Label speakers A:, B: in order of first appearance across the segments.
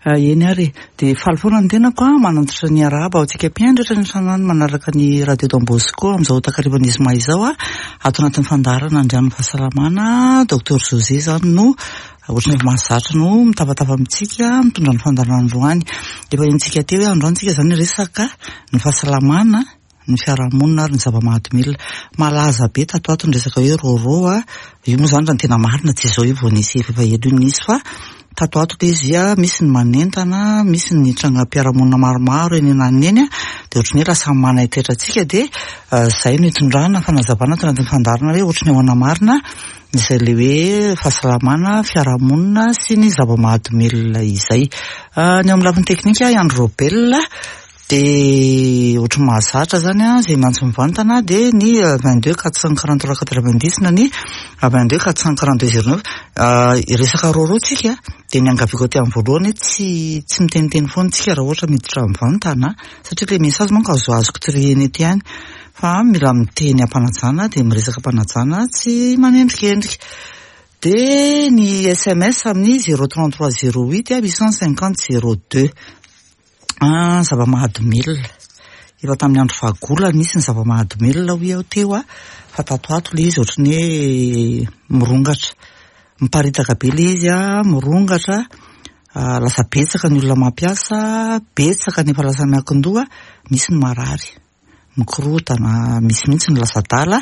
A: Eny ary e. Dia faly foana ny tenako an, manantitra ny arahaba ho antsika mpihaino rehetra any an-trano any manaraka ny Radio Don Bosco amin'izao takarivan'ny zoma izao an, ato anatin'ny fandaharana Andrian'ny Fahasalamana, Docteur José izany no ohatran'ny efa mahazatra no mitabataba amintsika mitondra ny fandaharana androany. Efa henontsika teo hoe androany tsika izany hiresaka ny fahasalamana, ny fiarahamonina ary ny zava-mahadomelina. Malaza be tato ato ny resaka hoe rôrô a, io moa izany raha ny tena marina tsy izao io vao nisy efa ela io nisy fa tato ato ilay izy a, misy ny manentana, misy ny trangam-piarahamonina maromaro eny ananona eny a, dia ohatran'ny hoe lasa manaitaitra antsika dia izay no itondrana fanazavana ato anatin'ny fandaharana hoe ohatran'ny ahoana marina izay ilay hoe fahasalamana, fiarahamonina sy ny zava-mahadomelina izay. Ny ao amin'ny lafiny teknika i Andry Robel. Dia ohatry ny mahazatra izany an, izay miantso mivantana dia ny 22 443 90 na ny 22 442 09. Resaka rôrô tsika dia ny angaviako aty amin'ny voalohany hoe tsy tsy miteniteny foana tsika raha ohatra miditra mivantana satria ilay message manko azoazoko trier-na eto ihany fa mila miteny am-panajana dia miresaka am-panajana tsy manendrikendrika. Dia ny sms amin'ny 033 08 850 02. Ah, zava-mahadomelina. Efa tamin'ny andro fahagola nisy ny zava-mahadomelina hoy aho teo fa tato ato ilay izy ohatran'ny hoe mirongatra. Miparitaka be ilay izy mirongatra, lasa betsaka ny olona mampiasa, betsaka ny efa lasa miankin-doha, misy ny marary. Mikorontana, misy mihitsy ny lasa adala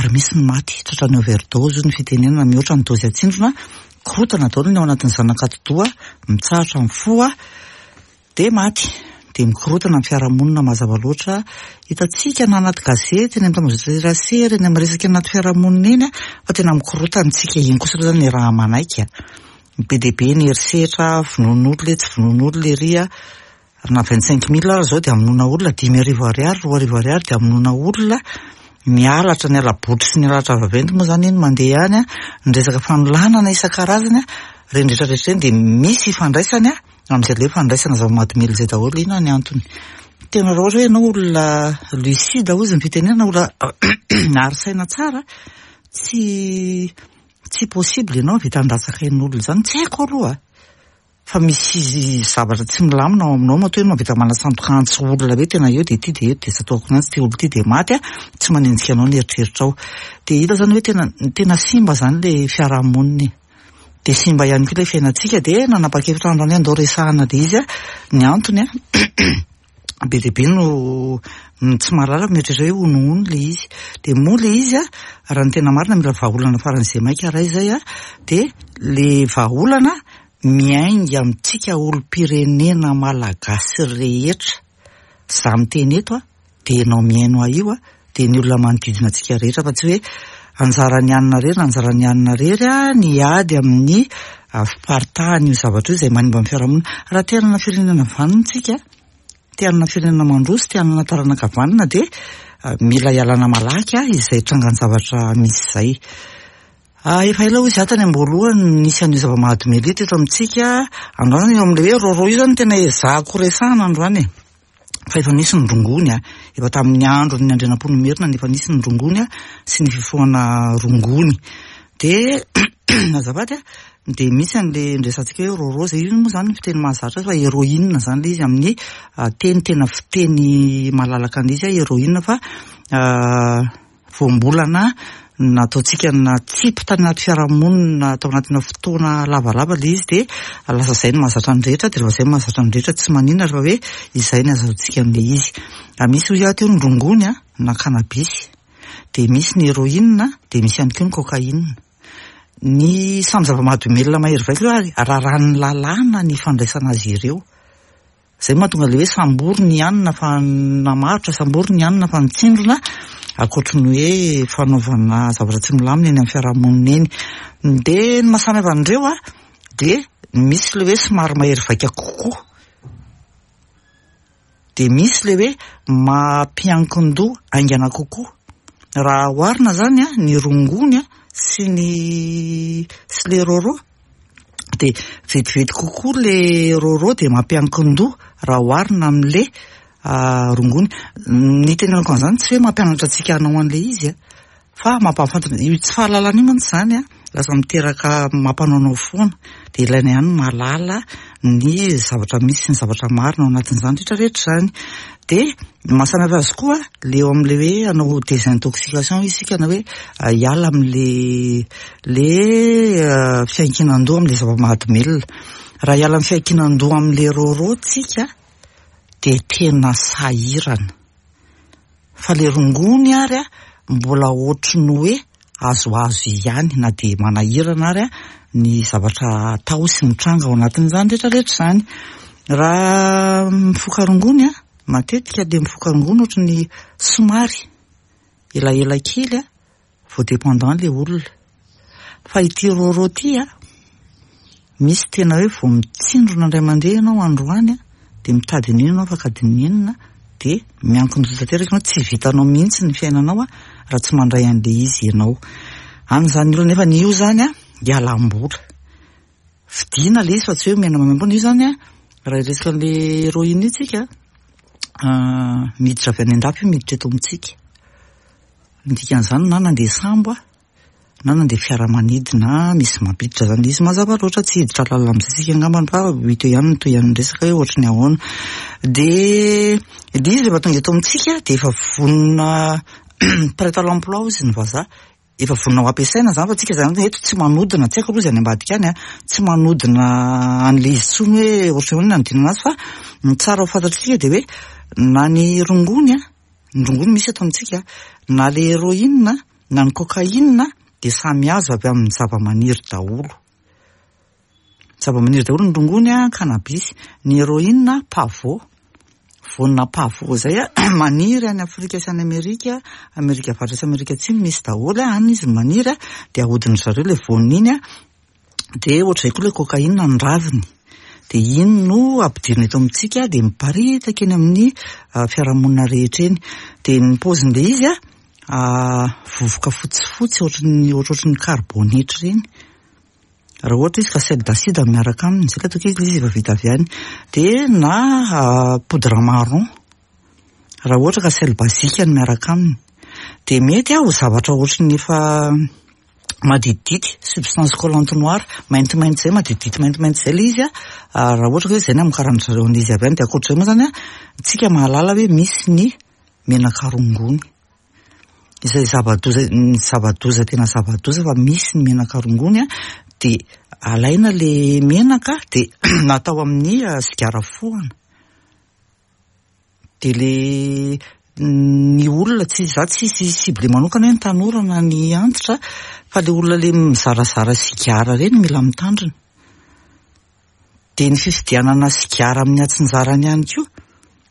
A: ary misy ny maty tratran'ny overdose hoy ny fitenenana, mihoatra ny dose atsindrona, mikorontana daholo ny ao anatin'ny zanak'atidoha, mitsahatra ny fo dia maty. Dia mikorontana ny fiarahamonina mazava loatra, hitantsika na anaty gazety, eny amin'ny tambajotran-tserasera, eny amin'ny resaka anaty fiarahamonina eny fa tena mikorontana isika, iny kosa aloha izany raha manaiky a! Be dia be ny herisetra, vonoan'olona etsy, vonoan'olona ery. Ary na 25 mille ary izao dia hamonoana olona, 5000 ariary, 2000 ariary dia hamonoana olona, ny halatra, ny hala-botry sy ny halatra vaventy moa izany iny mandeha ihany an, ny resaka fanolanana isan-karazany an, ireny rehetra rehetra ireny dia misy ifandraisany an, amin'izay ilay hoe fandraisana zava-mahadomelina izay daholo, inona ny antony? Tena raha ohatra hoe ianao olona lucide hozy ny fitenenana, olona ary saina tsara, tsy tsy possible ianao hahavita handatsaka ain'olona izany, tsy haiko aloha. Fa misy zavatra tsy milamina ao aminao matoa ianao mahavita manasandoka antsy olona hoe tena eo dia ity dia eto dia tsatohako ny antsy ity olona ity dia maty a, tsy manenjika anao ny eritreritrao. Dia hita izany hoe tena tena simba izany ilay fiarahamonina e. Dia simba ihany koa ilay fiainantsika dia nanapa-kevitra androany hoe andao resahana ilay izy a, ny antony a be dia be no tsy mahalala fa mieritreritra hoe honohono ilay izy. Dia moa ilay izy a, raha ny tena marina mila vahaolana faran'izay maika raha izay a, dia ilay vahaolana miainga amintsika olom-pirenena malagasy rehetra, za miteny eto a, dia ianao mihaino ahy io a, dia ny olona manodidina antsika rehetra fa tsy hoe anjaran'ny anona irery na anjaran'ny anona irery a ny hiady amin'ny fiparitahan'io zavatra io izay manimba ny fiarahamonina. Raha te hanana firenena vanona isika, te hanana firenena mandroso, te hanana taranaka vanona dia mila ialana malaky izay trangan-javatra misy izay. Efa ela hoy izaho tany am-boalohany no nisy an'io zava-mahadomelina io teto amintsika. Androany eo amin'ilay hoe rôrô io izany no tena ezahako resahana androany e. Fa efa nisy ny rongony a. Efa tamin'ny andron'ny Andrianampoinimerina no efa nisy ny rongony a, sy ny fifohana rongony. Dia azafady a, dia misy an'ilay niresahantsika hoe rôrô izay, io moa izany ny fiteny mahazatra azy fa héroïne izany ilay izy amin'ny teny tena fiteny malalaka an'ilay izy héroïne fa voambolana nataontsika natsipy tany anaty fiarahamonina tao anatina fotoana lavalava ilay izy dia lasa izay no mahazatra ny rehetra dia rehefa izay no mahazatra ny rehetra tsy maninona rehefa hoe izay no azahoantsika an'ilay izy. Misy hoy aho teo ny rongony na cannabis, dia misy ny héroïne, dia misy ihany koa ny cocaïne. Ny samy zava-mahadomelina mahery vaika ireo ary raràn'ny lalàna ny fandraisana azy ireo. Izay no mahatonga ilay hoe sambory ny hanina fa namarotra, sambory ny hanina fa nitsindrona, ankoatry ny hoe fanaovana zavatra tsy milamina eny amin'ny fiarahamonina eny. Dia ny maha samy hafa an'ireo an, dia misy ilay hoe somary mahery vaika kokoa, dia misy ilay hoe mampiankin-doha haingana kokoa. Raha oharina izany an, ny rongony sy ny sy ilay rôrô, dia vetivety kokoa le rôrô dia mampiankin-doha raha oharina amin'le rongony. Ny itenenako an'izany tsy hoe mampianatra antsika hanao an'ilay izy an, fa mampahafantatra, io tsy fahalalana io mantsy izany an, lasa miteraka mampanaonao foana. Dia ilaina ihany ny mahalala ny zavatra misy sy ny zavatra marina ao anatin'izany rehetra rehetra izany. Dia ny maha samy hafa azy koa, le eo amin'ilay hoe hanao désintoxication isika na hoe hiala amin'le le fiankinan-doha amin'ilay zava-mahadomelina. Raha hiala amin'ny fiankinan-doha amin'ilay rôrô tsika dia tena sahirana. Fa le rongony ary mbola ohatry ny hoe azoazo ihany na dia manahirana ary ny zavatra atao sy mitranga ao anatin'izany rehetra rehetra izany. Raha mifoka rongony, matetika le mifoka rongony ohatry ny somary elaela kely vao dépendant le olona. Fa ity rôrô ity a, misy tena hoe vao mitsindrona indray mandeha ianao androany dia mitady an'iny ianao afaka adiny enina dia miankin-doha tanteraka ianao, tsy vitanao mihitsy ny fiainanao raha tsy mandray an'ilay izy ianao. Any izany olona nefa io izany a, hialam-bola. Vidiana ilay izy fa tsy hoe omena maimaimpoana. Io izany a, raha hiresaka an'ilay héroïne io tsika, miditra avy any an-dafy io miditra eto amintsika. Ny dikan'izany na nandeha sambo aho na nandeha fiaramanidina misy mampiditra zany izy mazava loatra tsy hiditra lalina amin'izay isika angambany fa ho hita eo ihany ny tohian'ny resaka hoe ohatry ny ahoana. Dia ilay izy rehefa tonga eto amintsika dia efa vonona prêt à l'emploi hozy ny vazaha, efa vonona ho ampiasaina izany fa tsika izany eto tsy manodina, tsy haiko aloha izay any ambadika any an, tsy manodina an'ilay izy intsony hoe ohatry ny ahoana ny hanodinana azy fa ny tsara ho fantatr'isika dia hoe na ny rongony an, Ny rongony misy eto amintsika, na le héroïne na ny cocaïne dia samy azo avy amin'ny zavamaniry daholo. Zavamaniry daholo ny rongony, cannabis, ny héroïne pavot, voanina pavot izay maniry any Afrika sy any Amerika, Amerika Avaratra sy Amerika Atsimo misy daholo, any izy no maniry dia ahodin-dry zareo ilay voaniny iny. Dia ohatr'izay koa ilay cocaïne ny raviny. Dia iny no ampidirina eto amintsika dia miparitaka eny amin'ny fiarahamonina rehetra eny. Dia ny paozin'ilay izy an, vovoka fotsifotsy ohatran'ny ohatrohatry ny karibonetra ireny. Raha ohatra izy ka sel d'acide no miaraka aminy, izay ilay ataoko hoe ilay izy efa vita avy any. Dia na poudre marron, raha ohatra ka sel basique no miaraka aminy. Dia mety ho zavatra ohatry ny efa maditidity, substance collante noire, maintimainty izay, maditidity maintimainty izay ilay izy an, raha ohatra ka hoe izay no hamokaran-dry zareo an'izy avy any, dia ankoatr'izay moa izany an, tsika mahalala hoe misy ny menaka rongony, izay zava-doza, ny zava-doza tena zava-doza fa misy ny menaka rongony an, dia alaina ilay menaka dia atao amin'ny sigara fohana. Dia le ny olona tsy za tsisy cible manokana hoe ny tanora na ny antitra fa le olona le mizarazara sigara reny mila mitandrina. Dia ny fividianana sigara amin'ny atsinjarany ihany koa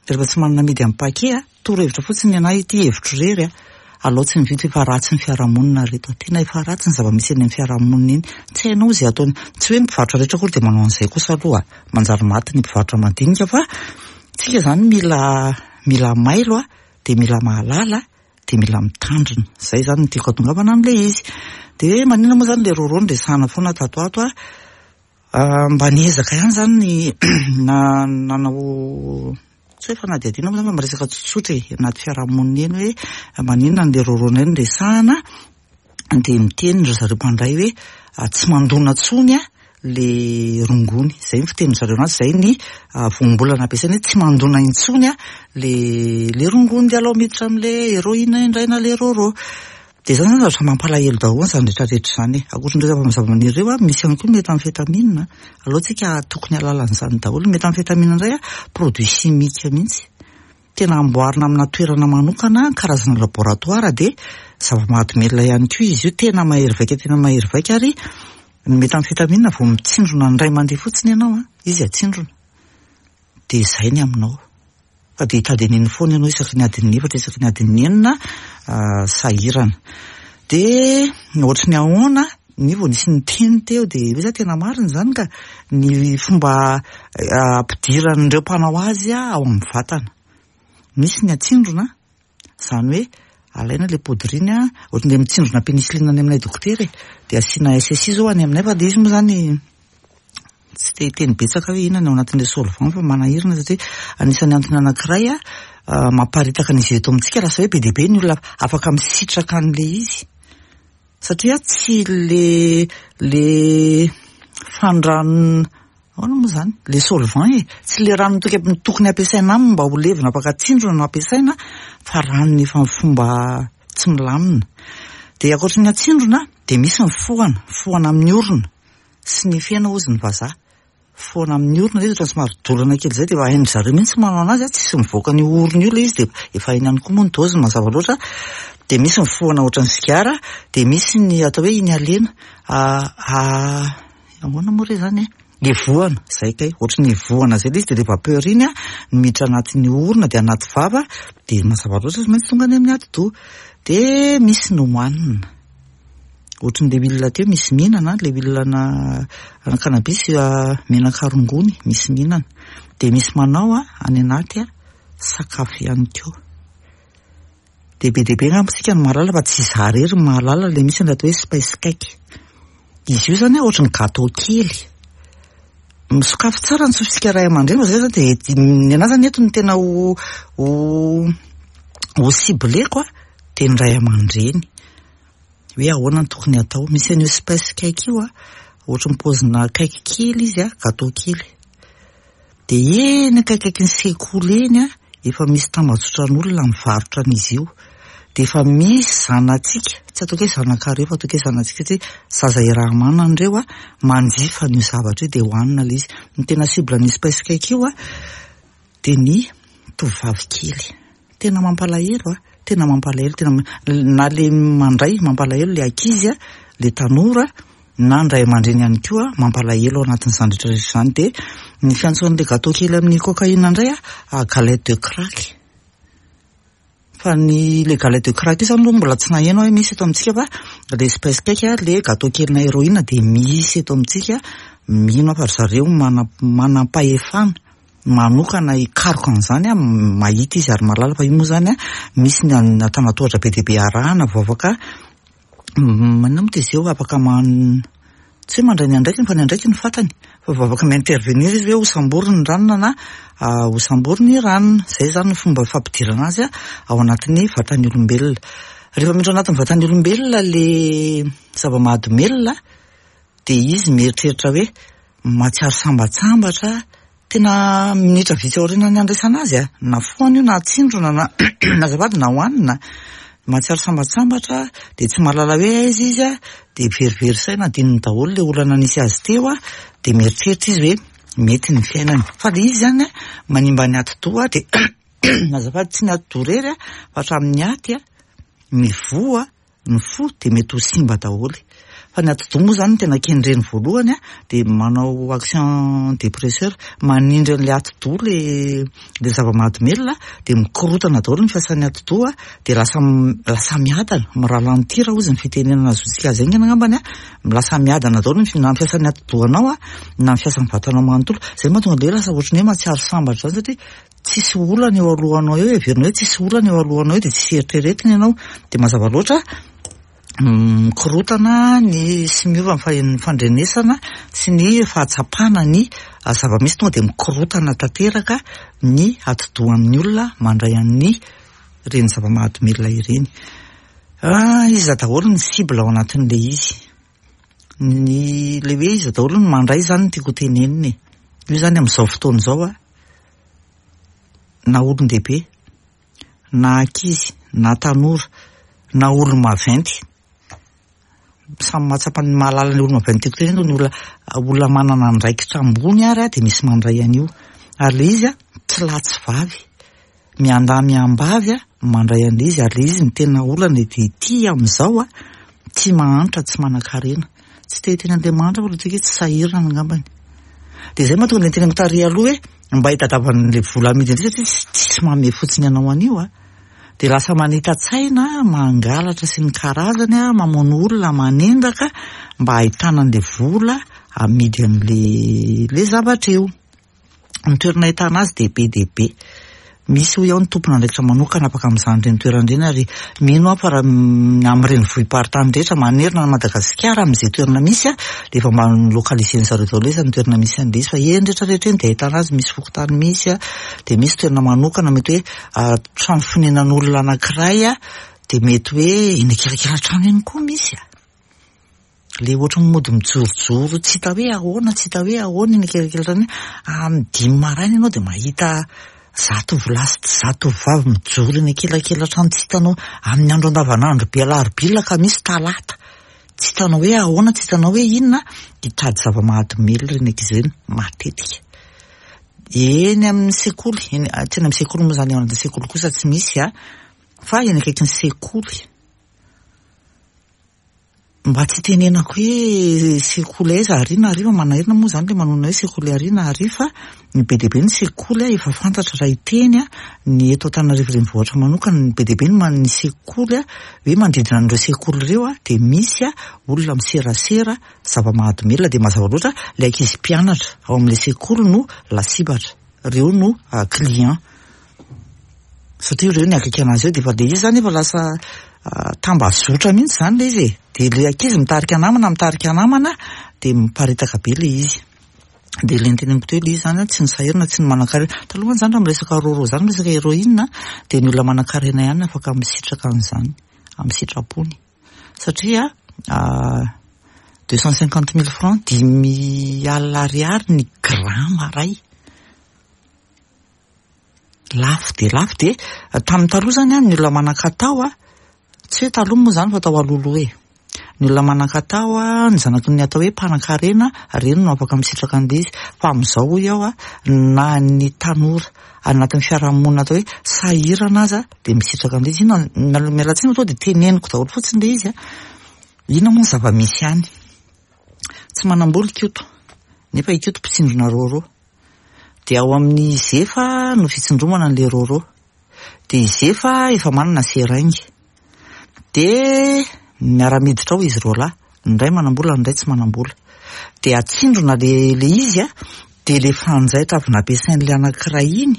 A: rehefa tsy manana amidy amin'ny paquet a, torohevitra fotsiny ny anah ity hevitro irery a, alao tsy mividy fa efa ratsy ny fiarahamonina ry reto a, tena efa ratsy ny zava-misy eny amin'ny fiarahamonina eny, tsy hainao izay ataony, tsy hoe ny mpivarotra rehetra akory dia manao an'izay kosa aloha a. Manjary maty ny mpivarotra madinika fa tsika zany mila mila mailo a, dia mila mahalala dia mila mitandrina. Zay zany no tiako hatongavana amin'ilay izy. Dia maninona moa zany le rôrô no resahana foana tato ato a? Mba niezaka ihany zany ny na nanao tsy hoe fanadihadiana moa zany fa miresaka tsotsotra e, anaty fiarahamonina eny hoe maninona an'le rôrônay no resahana. dia miteny ry zareo mpandray hoe tsy mandona intsony le rongony, izay ny fitenin-dry zareo anazy, izay ny voambolana ampiasainy hoe tsy mandona intsony le le rongony dia alao miditra amin'le héroïne indray na le rôrô. Dia izany zany zavatra mampalahelo daholo izany rehetra rehetra izany e. Ankoatran'ireo zava-maniry ireo, misy ihany koa ny méthamphétamine, alao tsika tokony hahalala an'izany daholo. Ny méthamphétamine indray produit chimique mihitsy. Tena amboarina amina toerana manokana, karazana laboratoire dia zava-mahadomelina ihany koa izy io, tena mahery vaika tena mahery vaika ary ny méthamphétamine vao mitsindrona indray mandeha fotsiny ianao an, izy atsindrona dia izay ny aminao fa dia hitady an'iny foana ianao isaky ny adin'ny efatra isaky ny adin'ny enina sahirana. Dia ohatry ny ahoana ny vao nisy niteny teo dia hoe za tena marina izany ka, ny fomba ampidiran'ireo mpanao azy ao amin'ny vatana. Misy ny atsindrona, izany hoe alaina ilay poudre iny an, ohatran'ilay mitsindrona pénicilline any aminay dokotera e, dia asiana SSI izao any aminay fa ilay izy moa izany tsy te hiteny betsaka hoe inona ny ao anatin'ilay solvant fa manahirana satria anisan'ny antony anankiray mamparitaka an'izy eto amintsika lasa hoe be dia be ny olona afaka misitraka an'ilay izy. Satria tsy le le fandran ahoana moa izany? Le solvant e! Tsy le rano tokony ampiasaina aminy mba ho levona afaka tsindrona no ampiasaina fa ranony efa amin'ny fomba tsy milamina. Dia ankoatry ny atsindrona dia misy ny fohana, fohana amin'ny orona sy ny fena hozy ny vazaha. Fohana amin'ny orona ilay izy ohatran'ny somary dorana kely izay dia efa hain-dry zareo mihitsy manao an'azy, tsisy mivoaka an'io orona io ilay izy dia efa hainy ihany koa moa ny dôziny mazava loatra. Dia misy ny fohana ohatran'ny sigara, dia misy ny atao hoe inhalena, ahoana moa re izany e? Evohana, izay kay, ohatran'ny evohana izay ilay izy dia ilay vapeur iny an, miditra anatin'ny orona dia anaty vava dia mazava loatra tsy maintsy tonga any amin'ny atidoha. Dia misy ny hohanina. Ohatran'ilay huile teo misy mihinana, ilay huile ana ana cannabis menaka rongony misy mihinana. Dia misy manao any anaty sakafo ihany koa. Dia be dia be angamba isika no mahalala fa tsy izaho irery no mahalala ilay misy ny atao hoe spice cake. Izy io izany ohatran'ny gâteau kely. Misokafy tsara ny sofintsika ray aman-dreny fa izay izany dia ny anahy izany eto no tena ho ho ho cibleko dia ny ray aman-dreny. Hoe ahoana no tokony hatao. Misy an'io spice cake io ohatran'ny paozina cake kely izy gâteau kely. Dia eny akaikaikin'ny sekoly eny an, efa misy tambajotran'olona mivarotra an'izy io. Dia efa misy zanatsika, tsy ataoko hoe zanakareo fa ataoko hoe zanatsika satria zaza iaraha-manana ireo an, manjifa an'io zavatra io dia hohanina ilay izy. Ny tena cible an'io spice cake io an, dia ny tovovavy kely. Tena mampalahelo a! Tena mampalahelo, tena na le mandray mampalahelo le ankizy a, le tanora, na ny ray aman-dreny ihany koa mampalahelo ao anatin'izany rehetra rehetra izany. Dia ny fiantsoan'le gâteau kely amin'ny cocaïne indray a, galette de crack. Fa ny le galette de crack io izany aloha mbola tsy naheno aho hoe misy eto amintsika fa le spice cake, le gâteau kelina héroïne dia misy eto amintsika, mino aho fa ry zareo manam-pahefana. manokana hikaroka an'izany an, mahita izy ary mahalala fa io moa izany an, misy ny antanatohatra be dia be arahana vao afaka maninona moa izy eo, afaka man- tsy hoe mandray ny andraikiny fa ny andraikiny fantany, fa vao afaka mi-intervenir izy hoe hosamboriny ny ranona na hosamboriny i ranona, izay izany ny fomba fampidirana azy ao anatin'ny vatan'ny olombelona. Rehefa miditra ao anatin'ny vatan'ny olombelona ilay zava-mahadomelina dia izy mieritreritra hoe mahatsiaro sambatsambatra, tena minitra vitsy aorianan'ny handraisana azy a, na fohana io na atsindrona na azafady na hohanina, mahatsiaro sambatsambatra dia tsy mahalala hoe aiza izy a, dia verivery saina, adinony daholo ilay olana nisy azy teo a, dia mieritreritra izy hoe mety ny fiainany. Fa ilay izy izany a, manimba ny atidoha dia azafady tsy ny atidoha irery a, fa hatramin'ny aty a, ny voa ny fo dia mety ho simba daholo. Fa ny atidoha moa izany no tena kendreny voalohany a, dia manao action dépresseur, manindry an'ilay atidoha ilay ilay zava-mahadomelina dia mikorontana daholo ny fiasan'ny atidoha dia lasa lasa miadana, mi-ralentir hozy ny fitenenana azontsika azy haingana angambany a, lasa miadana daholo ny na ny fiasan'ny atidohanao a, na ny fiasan'ny vatanao manontolo. Izay no mahatonga an'ilay hoe lasa ohatran'ny hoe mahatsiaro sambatra izany satria tsisy olana eo alohanao eo, heverina hoe tsisy olana eo alohanao eo dia tsisy eritreretina ianao, dia mazava loatra mikorotana ny sy miova ny fandrenesana sy ny fahatsapana ny zava-misy tonga dia mikorotana tanteraka ny atidohan'ny olona mandray an'ny ireny zava-mahadomelina ireny. Ah, iza daholo ny cible ao anatin'ilay izy? Ny ilay hoe iza daholo ny mandray izany no tiako ho tenenina e. Io izany amin'izao fotoana izao a, na olon-dehibe, na ankizy, na tanora, na olo-maventy. Samy mahatsapa ny mahalala ny olo-maventy tiako tenenina ny olona olona manana andraikitra ambony ary dia misy mandray an'io. Ary ilay izy tsy lahy tsy vavy. Miandahy miambavy mandray an'ilay izy ary ilay izy ny tena olana e dia ity amin'izao a, tsy mahantra tsy manankarena. Tsy te hiteny an'ilay mahantra aho fa ilay hoe tsy sahirana angambany. Dia izay mahatonga ny teneniko tary aloha hoe mba hitadiavana an'ilay vola amidy indray satria tsisy manome fotsiny anao an'io a. Dia lasa manita-tsaina, mangalatra sy ny karazany a, mamono olona, manendaka mba hahitana an'ilay vola amidy an'ilay ilay zavatra io. Ny toerana ahitana azy dia be dia be. Misy hoy aho ny tompon'andraikitra manokana afaka mizaha an'ireny toerana ireny ary mino aho fa raha amin'ny renivohi-paritany rehetra manerana an'i Madagasikara amin'izay toerana misy dia efa mba localiser-ny zareo daholo hoe izany toerana misy an'ilay izy fa eny rehetra rehetra eny dia ahitana azy, misy fokontany misy dia misy toerana manokana mety hoe trano fonenan'olona anankiray dia mety hoe eny akelakelan-trano eny koa misy. Ilay ohatran'ny mody mijorojoro tsy hita hoe ahoana tsy hita hoe ahoana eny akelakelantrano eny. Amin'ny dimy maraina ianao dia mahita zatovolahy sy zatovovavy mijoro eny akelakelantrano tsy hitanao amin'ny andro andavanandro be alarobia, alakamisy, talata. Tsy hitanao hoe ahoana, tsy hitanao hoe inona, hitady zava-mahadomelina ireny ankizy ireny matetika. Eny amin'ny sekoly, eny, tsy eny amin'ny sekoly moa izany, ao anatin'ny sekoly kosa tsy misy a, fa eny akaikin'ny sekoly. Mba tsy hitenenako hoe sekoly aiza ary na ary fa manahirana moa izany ilay manonona hoe sekoly ary na ary fa ny be dia be ny sekoly efa fantatra raha hiteny ny eto Antananarivo renivohitra manokana ny be dia be ny ny sekoly hoe manodidina an'ireo sekoly ireo dia misy olona miserasera zava-mahadomelina dia mazava loatra ilay ankizy mpianatra ao amin'ilay sekoly no lasibatra, ireo no client. Satria ireo ny akaiky anazy eo dia efa ilay izy izany efa lasa tambazotra mihitsy izany ilay izy e. Dia ilay ankizy mitarika namana, mitarika namana dia miparitaka be ilay izy. Dia ilay noteneniko teo ilay izy izany tsy ny sahirana, tsy ny manankarena. Taloha mantsy izany raha miresaka rôrô izany, miresaka héroïne dia ny olona manankarena ihany no afaka misitraka an'izany amin'ny sitrapony. Satria 250 mille francs, dimy alina ariary ny grama iray. Lafo dia lafo dia tamin'ny taloha izany an, ny olona manan-katao an, tsy hoe taloha moa izany fa tao alohaloha e. Ny olona manan-katao an, ny zanaky ny atao hoe mpanankarena, ireny no afaka misitraka an'ilay izy. Fa amin'izao hoy aho an, na ny tanora anatin'ny fiarahamonina atao hoe sahirana aza dia misitraka an'ilay izy. Inona, miala tsiny fa tonga dia teneniko daholo fotsiny ilay izy an. Inona moa ny zava-misy any? Tsy manam-bola i Koto, nefa i Koto mpitsindrona rôrô. Dia ao amin'ny Zefa no fitsindromana an'ilay rôrô. Dia i Zefa efa manana seringue. Dia miara-miditra ao izy roalahy. Ny iray manam-bola, ny iray tsy manam-bola. Dia atsindrona ilay ilay izy an, dia ilay fanjaitra avy nampiasain'ilay anankiray iny,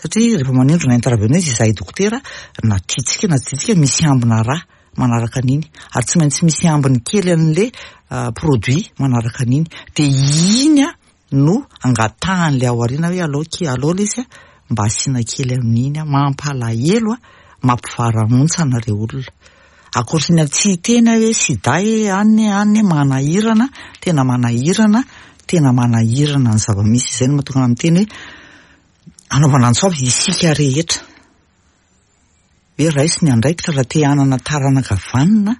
A: satria rehefa manindrona intraveneuse izahay dokotera, na tiantsika na tsy tiantsika misy ambina rà manaraka an'iny. Ary tsy maintsy misy ambiny kely an'ilay produit manaraka an'iny. Dia iny an, no angatahan'ilay ao aoriana hoe alao ki alao lesy a, mba asiana kely amin'iny a, mampalahelo a, mampivarahontsana re olona. Ankoatry ny tsy hiteny aho hoe sida e, any e, any e, manahirana, tena manahirana, tena manahirana ny zava-misy, izay no mahatonga ahy miteny hoe anaovana antso avo isika rehetra. Hoe raiso ny andraikitra raha te hanana taranaka vanona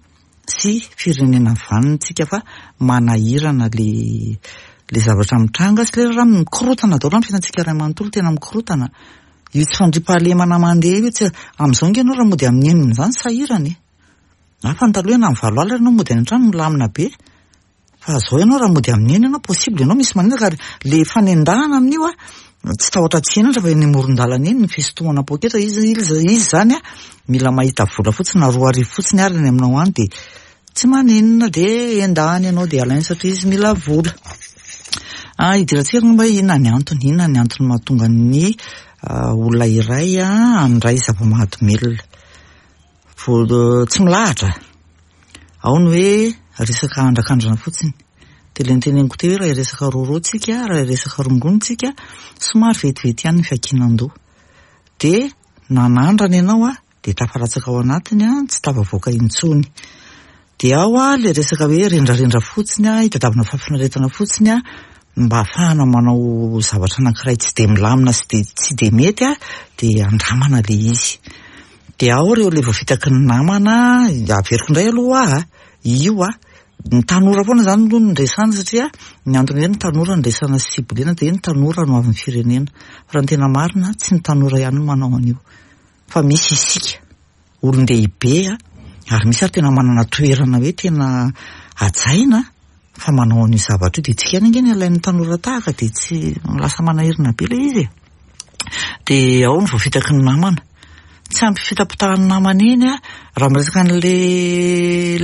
A: sy firenena vanona tsika fa manahirana le le zavatra mitranga sy le raha mikorotana daholo ny fiainantsika iray manontolo tena mikorotana. Io tsy fandriampahalemana mandeha io tsy amin'izao ange ianao raha mody amin'ny enina izany sahirana e. Hafa ny taloha hoe na amin'ny valo alina ianao mody any an-trano milamina be. Fa zao ianao raha mody amin'ny enina ianao possible ianao misy manendaka ary le fanendahana amin'io a tsy tahotra tsy henatra fa eny amoron-dalana eny ny fisintomana poketra izy izy izy zany a mila mahita vola fotsiny na 2000 fotsiny ary any aminao any dia tsy maninona dia endahany ianao dia alainy satria izy mila vola. Ah, idirantsika angamba hoe inona ny antony, inona ny antony mahatonga ny olona iray handray zava-mahadomelina. Vao tsy milahatra. Ao ny hoe resaka andrakandrana fotsiny. Dia ilay noteneniko teo hoe raha hiresaka rôrô tsika, raha hiresaka rongony tsika, somary vetivety ihany ny fiankinan-doha. Dia nanandrana ianao an, dia tafalatsaka ao anatiny an, tsy tafavoaka intsony. Dia ao an, ilay resaka hoe rendrarendra fotsiny an, hitadiavana fahafinaretana fotsiny an, mba hahafahana manao zavatra anankiray tsy dia milamina sy dia tsy dia mety an, dia andramana ilay izy. Dia ao ireo ilay voafitaky ny namana, averiko indray aloha hoa a, io a, ny tanora foana izany aloha no resahana satria ny antony hoe ny tanora no resahana sy ciblena dia ny tanora no avin'ny firenena. Fa raha ny tena marina tsy ny tanora ihany no manao an'io fa misy isika olon-dehibe a, ary misy ary tena manana toerana hoe tena hajaina fa manao an'io zavatra io dia tsika ihany ange ny alain'ny tanora tahaka dia tsy lasa manahirana be ilay izy e. Dia ao ny voafitaky ny namana. Tsy ampy fitapitahan'ny namana eny a, raha miresaka an'le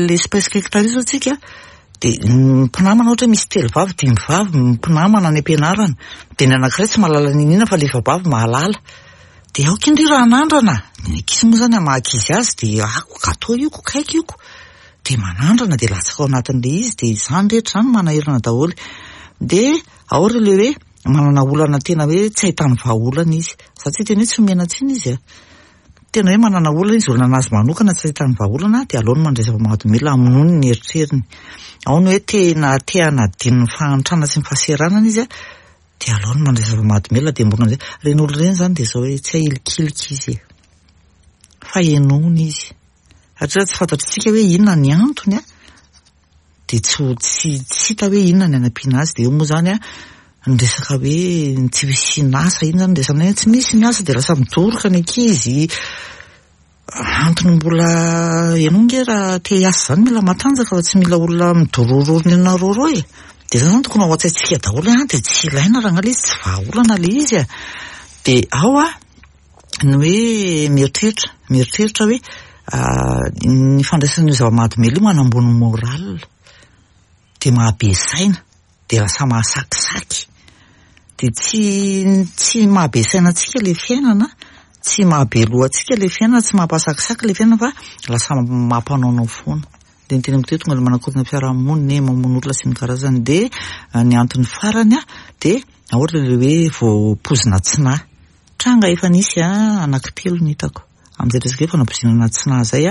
A: l'espèce quelque tary zao tsika dia ny mpinamana ohatra hoe misy telo vavy dimy vavy mpinamana any am-pianarana dia ny anankiray tsy mahalala n'inona fa le vavy mahalala dia aoka indry raha hanandrana, ny ankizy moa zany maha ankizy azy dia ako gateau io ko kaiky io ko dia manandrana dia latsaka ao anatin'ilay izy dia izany rehetra izany manahirana daholo dia ao ry le hoe manana olana tena hoe tsy ahitany vahaolana izy. Za tsy hiteny hoe tsy omena tsiny izy a. Tena hoe manana olana izy, olana an'azy manokana tsy ahitany vahaolana dia aleony mandray zava-mahadomelina hamonoany ny eritreriny. Ao ny hoe tena te hanadino ny fahantrana sy ny fahaseranana izy dia aleony mandray zava-mahadomelina dia mirona amin'izay. Ireny olona ireny izany dia izao hoe tsy ahilikilika izy e! Fa henoina izy. Satria raha tsy fantatr'isika hoe inona ny antony an, dia tsy ho tsy tsy hita hoe inona ny hanampiana azy dia eo moa izany an, ny resaka hoe ny tsy fisian'asa iny izany resaka hoe tsy misy ny asa dia lasa midoroka ny ankizy, antony mbola ianao ange raha te hiasa izany mila matanjaka fa tsy mila olona midorororo ny anareo e, dia izany izany tokony ao an-tsaintsika daholo hoe an dia tsy ilaina rangahy ilay izy tsy vahaolana ilay izy e, dia ao an. ny hoe mieritreritra, mieritreritra hoe ny fandraisana io zava-mahadomelina io manambony moral, dia mahabe saina, dia lasa mahasakisaky, dia tsy tsy mahabe saina antsika ilay fiainana, tsy mahabe loha antsika ilay fiainana, tsy mampahasakisaky ilay fiainana fa lasa mampanaonao foana. Dia ny teneniko teo tonga ilay manakorontana fiarahamonina e, mamono olona sy ny karazany. Dia ny antony farany dia ohatra ilay hoe voapoizina tsy nahy. Tranga efa nisy anankitelo no hitako amin'izay resaka hoe fanapoizinana tsy nahy izay,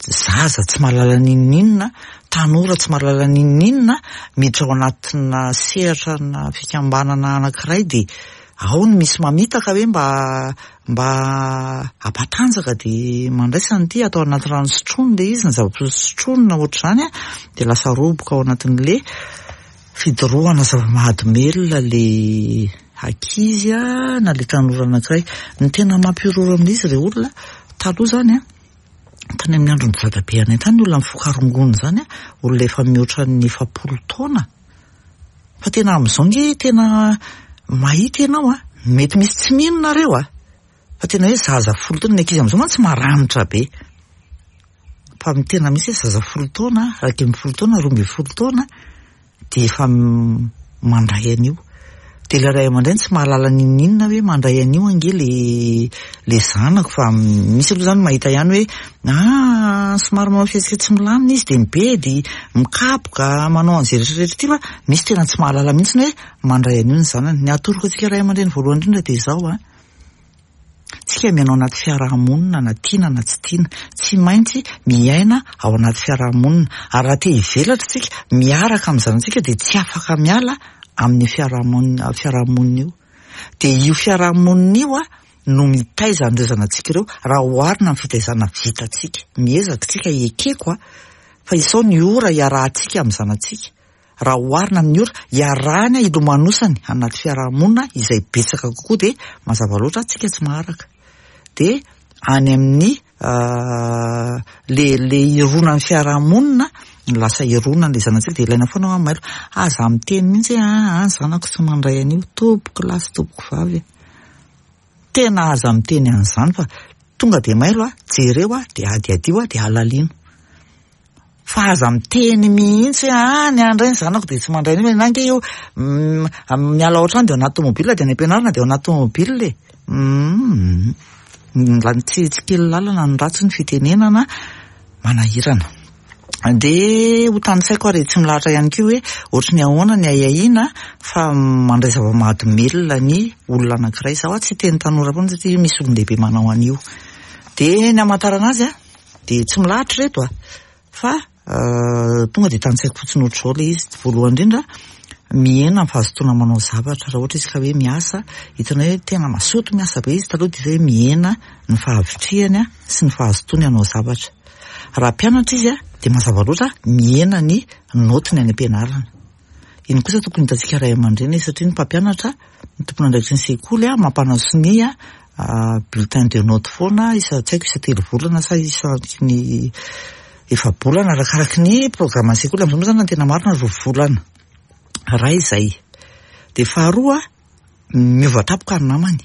A: zaza tsy mahalala n'inon'inona, tanora tsy mahalala n'inon'inona miditra ao anatina sehatra na fikambanana anankiray dia ao no misy mamitaka hoe mba mba hampatanjaka dia mandraisa an'ity atao anaty rano sotroina ilay izy, ny zava-pisotro sotroina ohatr'izany dia lasa roboka ao anatin'ilay Fidorohana zava-mahadomelina le ankizy na le tanora anankiray. Ny tena mampihorohoro amin'izy re olona, taloha zany an, tany amin'ny andron'ny dadabe anay tany ny olona mifoka rongony zany an, olona efa mihoatra ny 40 taona. Fa tena amin'izao nge tena mahita ianao an, mety misy tsy mino nareo an, fa tena hoe zaza folo taona, ny ankizy amin'izao mantsy maranitra be. Fa ny tena misy hoe zaza folo taona, 11 taona, 12 taona dia efa mandray an'io. Dia ilay ray aman-dreny tsy mahalala n'inon'inona hoe mandray an'io ange le le zanako fa misy aloha izany mahita ihany hoe ah somary manao fihetsika tsy milamina izy dia mibedy, mikapoka, manao an'izay rehetra rehetra ity fa misy tena tsy mahalala mihitsy hoe mandray an'io ny zanany. Ny atoroko antsika ray aman-dreny voalohany indrindra dia izao an. Tsika miaina ao anaty fiaraha-monina na tiana na tsy tiana. Tsy maintsy miaina ao anaty fiaraha-monina. Ary raha te hivelatra tsika miaraka amin'ny zanatsika dia tsy afaka miala amin'ny fiaraha-monina fiaraha-monina io. Dia io fiaraha-monina io no mitaiza an'ireo zanatsika ireo raha oharina amin'ny fitaizana vitantsika. Miezaka tsika ekeko fa isao ny ora iarahantsika amin'ny zanatsika. Raha oharina amin'ny ora iarahany hilomanosany anaty fiarahamonina izay betsaka kokoa dia mazava loatra tsika tsy maharaka. Dia any amin'ny le le hironan'ny fiarahamonina no lasa hironan'ilay zanatsika dia ilaina foana hoa mailo. Aza miteny mihitsy hoe aa ny zanako tsy mandray an'io tompoko lahy sy tompoko vavy a. Tena aza miteny an'izany fa tonga dia mailo a, jereo a, dia adiadio a, dia alalino. Fa aza miteny mihitsy hoe ah ny ahy indray ny zanako dia tsy mandray an'io, na ange io miala ao an-trano dia ao anaty tomobile dia any am-pianarana dia ao anaty tomobile e. Humm tsy tsy kely lalana ny ratsy ny fitenenana manahirana. Dia ho tanisaiko ary tsy milahatra ihany koa hoe ohatry ny ahoana ny ahiahiana fa mandray zava-mahadomelina ny olona anankiray. Izaho tsy hiteny tanora foana satria misy olon-dehibe manao an'io. Dia ny hamantarana azy an, Dia tsy milahatra ireto a! Fa tonga dia tantsaiko fotsiny ohatr'izao ilay izy. Voalohany indrindra, mihena ny fahazotoana manao zavatra. Raha ohatra izy ka hoe miasa, hitanao hoe tena mazoto miasa be izy taloha dia hita hoe mihena ny fahavitrihany sy ny fahazotoany hanao zavatra. Raha mpianatra izy dia mazava loatra mihena ny naotiny any am-pianarana. Iny kosa tokony hitantsika ray aman-dreny satria ny mpampianatra, ny tompon'andraikitry ny sekoly mampanao sonia bulletin de notes foana isa tsy haiko isa telo volana sa isaky ny efa-bolana arakaraky ny programan'ny sekoly. Amin'izao moa izany ny tena marina roa volana. Iray izay. Dia faharoa miova tampoka ny namany.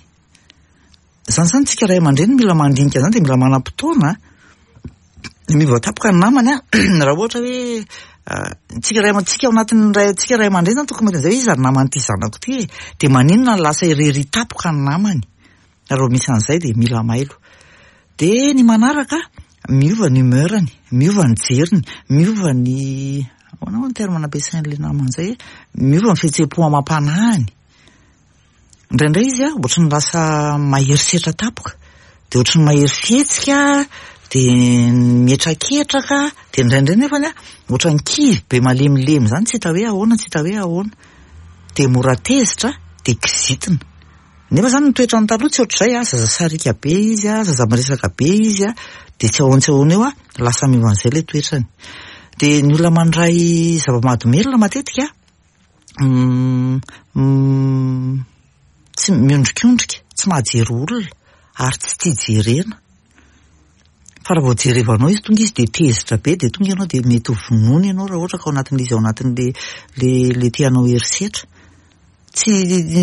A: Izany izany tsika ray aman-dreny mila mandinika izany dia mila manam-potoana miova tampoka ny namany an, raha ohatra hoe tsika ray aman-tsika ao anatin'ny ray tsika ray aman-dreny izany tokony mahita an'izay hoe iza ny naman'ity zanako ity e, dia maninona no lasa irery tampoka ny namany, raha vao misy an'izay dia mila mailo. Dia ny manaraka, miova ny humeur-ny, miova ny jeriny, miova ny ahoana moa ny terme nampiasain'ilay namany izay e, miova ny fihetseham-po amam-panahiny. Indraindray izy ohatry ny lasa mahery setra tampoka. Dia ohatry ny mahery fihetsika, dia mihetraketraka, dia indraindray nefany an, ohatran'ny kivy be malemilemy izany, tsy hita hoe ahoana, tsy hita hoe ahoana. Dia mora tezitra, dia kizitina. Nefa izany ny toetrany taloha tsy ohatr'izay an, zaza sariaka be izy an, zaza miresaka be izy an, dia tsy ahoana tsy ahoana eo an, lasa miova an'izay ilay toetrany. Dia ny olona mandray zava-mahadomelina matetika tsy miondrikondrika, tsy mahajery olona ary tsy tia jerena. Fa raha vao jerevanao izy tonga izy dia tezitra be dia tonga ianao dia mety ho vonoiny ianao raha ohatra ka ao anatin'ilay izy ao anatin'ilay ilay ilay te hanao herisetra. Tsy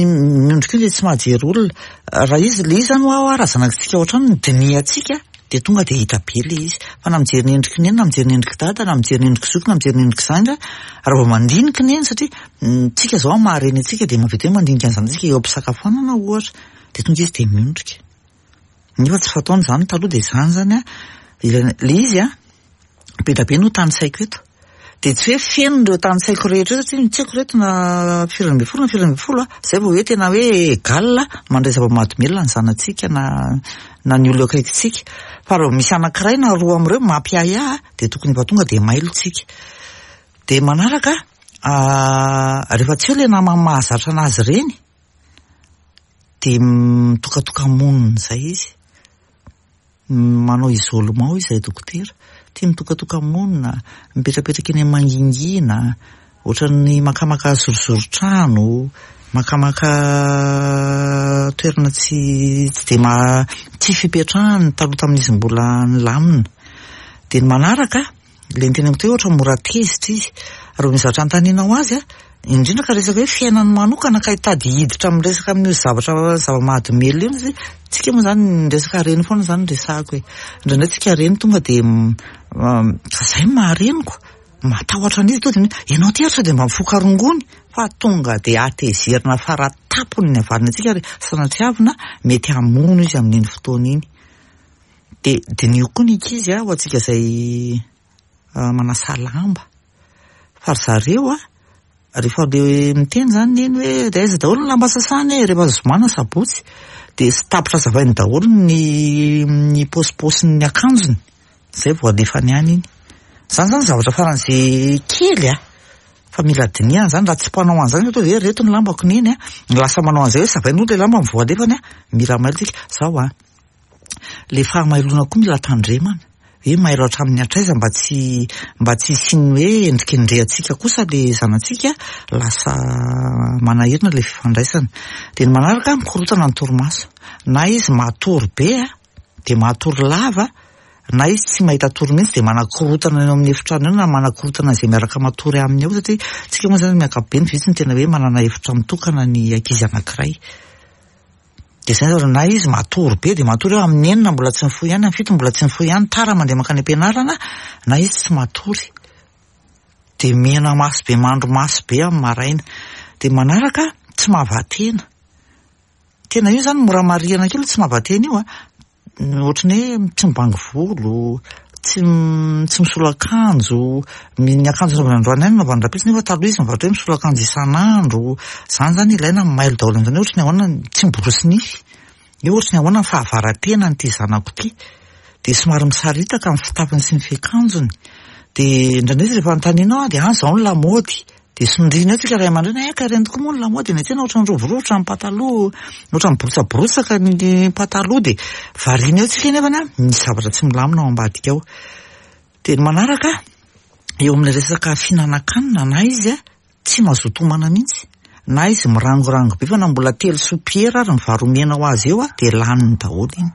A: miondrika io dia tsy mahajery olona. Raha izy ilay izy izany ho'aho raha zanakitsika ao an-trano no dinihantsika dia tonga dia hita be ilay izy. Fa na mijery ny endriky neny na mijery ny endriky dada na mijery ny endriky zoky na mijery ny endriky zandry raha vao mandinika neny satria tsika izao amin'ny maha reny antsika dia mahavita hoe mandinika ny zanatsika eo am-pisakafoanana ohatra dia tonga izy dia miondrika. Nefa tsy fataony izany taloha dia izany izany an, ilaina, ilay izy an, be dia be no tanisaiko eto. Dia tsy hoe feno ireo tanisaiko rehetra ireo satria tsy haiko ireto na firy ambin'ny folo na firy ambin'ny folo an, izay vao hoe tena hoe égal mandray zava-mahadomelina ny zanatsika na na ny olona eo akaikintsika. Fa raha vao misy anankiray na roa amin'ireo mampiahiahy dia tokony efa tonga dia mailo tsika. Dia manaraka, rehefa tsy eo ilay namany mahazatra anazy ireny, dia mitokatoka-monina izay izy, manao isolement hoy izahay dokotera, tia mitokatoka-monina, mipetrapetraka eny amin'ny mangingina, ohatran'ny makamaka zorozoron-trano, makamaka toerana tsy tsy dia maha tsy fipetrahany taloha tamin'izy mbola nilamina. Dia ny manaraka. Ilay niteneniko teo ohatra mora tezitra izy. Raha misy zavatra anontanianao azy an, indrindra ka resaka hoe fiainany manokana ka hitady hiditra amin'ny resaka amin'io zavatra zava-mahadomelina io izy, tsika moa izany ny resaka reny foana izany no resahako e. Indraindray tsika reny tonga dia fa izay no maha reniko, matahotra an'izy tonga dia ianao ity ary sao dia mba mifoka rongony fa tonga dia hatezerina fara-tampony ny havaliny antsika ary sanatriavina mety hamono izy amin'iny fotoana iny. Dia diniho koa ny ankizy ho antsika izay manasa lamba. Fa ry zareo a, rehefa le miteny izany neny hoe dia aiza daholo ny lamba sasana e, rehefa zoma na sabotsy, dia tapitra savainy daholo ny ny paosipaosin'ny akanjony, izay vao alefany any iny. Izany izany zavatra faran'izay kely a, fa mila dinihana izany, raha tsy mpanao an'izany ohatra hoe ireto ny lambako neny a, lasa manao an'izay hoe savainy aloha ilay lamba vao alefany a, mila mailo tsika. Izao a. Le fahamailoana koa mila tandremana, hoe mailo hatramin'ny hatraiza mba tsy mba tsy hisian'ny hoe endrikendrehantsika kosa le zanatsika lasa manahirana le fifandraisana. Dia ny manaraka mikorotana ny torimaso, na izy matory be dia matory lava, na izy tsy mahita tory mihitsy dia manakorotana eo amin'ny efitrano eo na manakorotana izay miaraka matory aminy eo satria tsika moa zany amin'ny ankapobeny vitsy ny tena hoe manana efitra mitokana ny ankizy anankiray. Dia izay zareo na izy matory be dia matory eo amin'ny enina mbola tsy mifoha ihany, amin'ny fito mbola tsy mifoha ihany, tara mandeha mankany am-pianarana, na izy tsy matory. Dia mena maso be, mandry maso be amin'ny maraina. Dia manaraka tsy mahava-tena. Tena io izany mora marihana kely tsy mahava-tena io an. Ohatran'ny hoe tsy mibango volo, tsy tsy misolo akanjo, ny akanjo nanaovany androany ihany no anaovany rahampitso nefa taloha izy mivadika hoe misolo akanjo isan'andro, izany izany ilaina ny mailo daholo amin'izany hoe ohatran'ny ahoana tsy miborosy nify, hoe ohatran'ny ahoana ny fahavara-tenan'ity zanako ity, dia somary misaritaka ny fitafiny sy ny fiakanjony, dia indraindray izy rehefa anontanianao dia an izao ny lamaody, Dia sondriana eo tsika ray aman-dreny, eh ka ireny tokoa moa ny lamaody eny an-tsena ohatran'ny rovirovitra ny pataloha, ohatran'ny miborotsaborosaka ny pataloha dia variana eo tsika nefany an, misy zavatra tsy milamina ao ambadika ao. Dia ny manaraka, eo amin'ny resaka fihinanan-kanina na izy an, tsy mazoto homana mihitsy, na izy mirangorango be fa na mbola telo sopiera ary ny vary omena ho azy eo an, dia laniny daholo iny.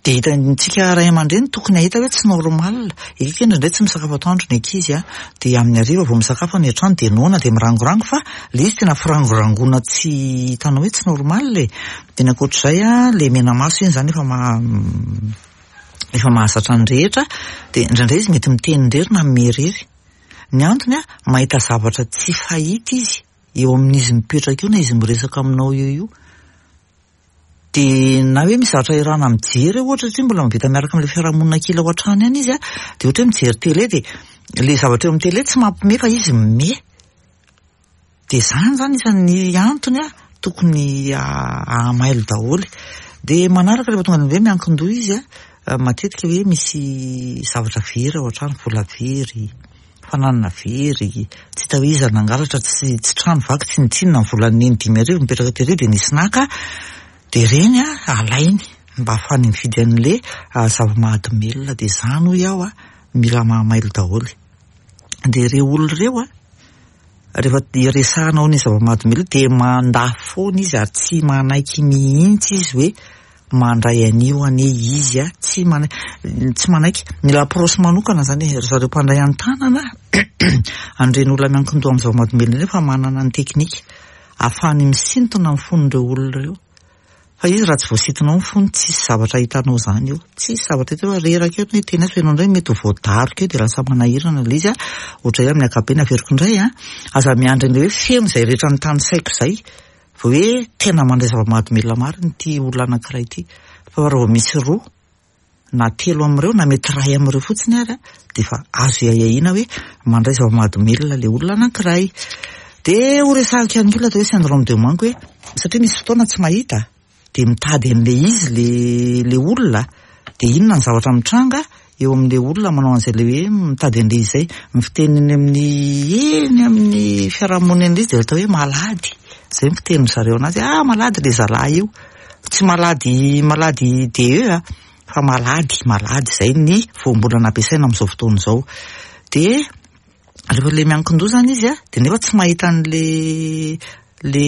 A: Dia hitantsika ray aman-dreny tokony hahita hoe tsy normal. Ekeko indraindray tsy misakafo atoandro ny ankizy a, dia amin'ny hariva vao misakafo any an-trano dia noana dia mirangorango fa ilay izy tena firangorangoana tsy hitanao hoe tsy normal e. Dia ny ankoatr'izay a, ilay menamaso iny izany efa maha efa mahazatra ny rehetra dia indraindray izy mety miteny irery na mimehy irery. Ny antony a, mahita zavatra tsy fahita izy eo amin'izy mipetraka eo na izy miresaka aminao eo io. Dia na hoe misy zavatra iarahana mijery eo ohatra satria mbola mavita miaraka amin'ilay fiarahamonina kely ao an-trano ihany izy an, dia ohatra hoe mijery télé dia ilay zavatra eo amin'ny télé tsy mampime fa izy mime. Dia izany izany isan'ny antony an tokony hahamailo daholo. Dia manaraka rehefa tonga any hoe miankin-doha izy a, matetika hoe misy zavatra very ao an-trano, vola very, fananana very, tsy hita hoe iza nangalatra, tsy tsy trano vaky tsinontsinona, ny volan'i Neny 5000 mipetraka tery dia nisy naka, dia ireny a alainy mba ahafahany mividy an'le zava-mahadomelina, dia izany hoy aho a, mila mahamailo daholo. Dia ireo olona ireo a, rehefa iresahanao ny zava-mahadomelina dia mandà foana izy ary tsy manaiky mihitsy izy hoe mandray an'io anie izy a, tsy manaiky, tsy manaiky. Mila approche manokana izany e, ry zareo mpandray an-tanana an'ireny olona miankin-doha amin'ny zava-mahadomelina ireny fa manana ny teknika ahafahany misintona ny fon'ireo olona ireo. Fa izy raha tsy voasintonao ny fony tsisy zavatra hitanao izany eo, tsisy zavatra hita eo fa reraka eo ny hiteny azy fa ianao indray mety ho voadaroka eo dia lasa manahirana ilay izy a, ohatran'izay amin'ny ankapobeny averiko indray a, aza miandry an'ilay hoe feno izay rehetra notanisaiko izay vao hoe tena mandray zava-mahadomelina marina ity olona anankiray ity fa raha vao misy roa na telo amin'ireo na mety iray amin'ireo fotsiny ary dia efa azo iahiahiana hoe mandray zava-mahadomelina ilay olona anankiray. Dia ho resahiko ihany koa ilay atao hoe syndrome de manque hoe satria misy fotoana tsy mahita dia mitady an'ilay izy ilay ilay olona dia inona ny zavatra mitranga eo amin'ilay olona manao an'izay ilay hoe mitady an'ilay izy izay. Ny fiteny eny amin'ny eny amin'ny fiarahamonina eny ilay izy dia atao hoe malady. Izay ny fitenin-dry zareo anazy hoe ah malady ilay zalahy io. Tsy malady malady DE a, fa malady malady izay ny voambolana ampiasaina amin'izao fotoana izao. Dia rehefa ilay miankin-doha izany izy a, dia nefa tsy mahita an'ilay le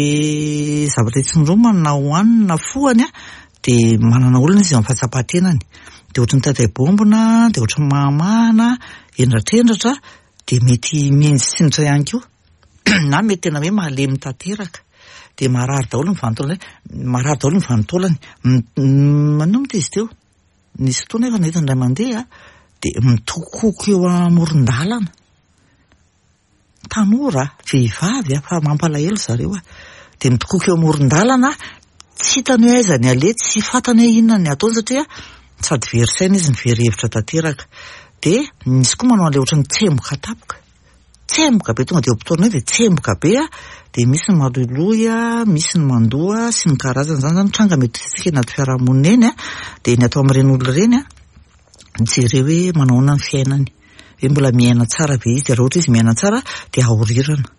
A: zavatra itsindromany na hohaniny na fohany a, dia manana olana izy amin'ny fahatsapan-tenany. Dia ohatran'ny mitaitay bombina, dia ohatran'ny mahamahana, hendratrendratra, dia mety mihinjitsinjitra ihany koa. na mety tena hoe malemy tanteraka dia marary daholo ny vanin-taolany marary daholo ny vanin-taolany maninona moa izy teo nisy fotoana efa nahita indray mandeha dia mitokoko eo amoron-dalana tanora vehivavy fa mampalahelo zareo a dia mitokoko eo amoron-dalana tsy hitany hoe aiza ny aleha tsy fantany hoe inona ny ataony satria sady very saina izy no very hevitra tanteraka dia misy koa manao an'ilay ohatran'ny tsemboka tampoka Tsemboka be tonga dia eo am-potoana eo dia tsemboka be a, dia misy ny maloiloy a, misy ny mandoa sy ny karazany, izany izany tranga mety ho hitantsika eny anaty fiarahamonina eny a, dia ny atao amin'ireny olona ireny a, jereo hoe manao ahoana ny fiainany, hoe mbola miaina tsara ve izy, dia raha ohatra izy miaina tsara dia ahorirana.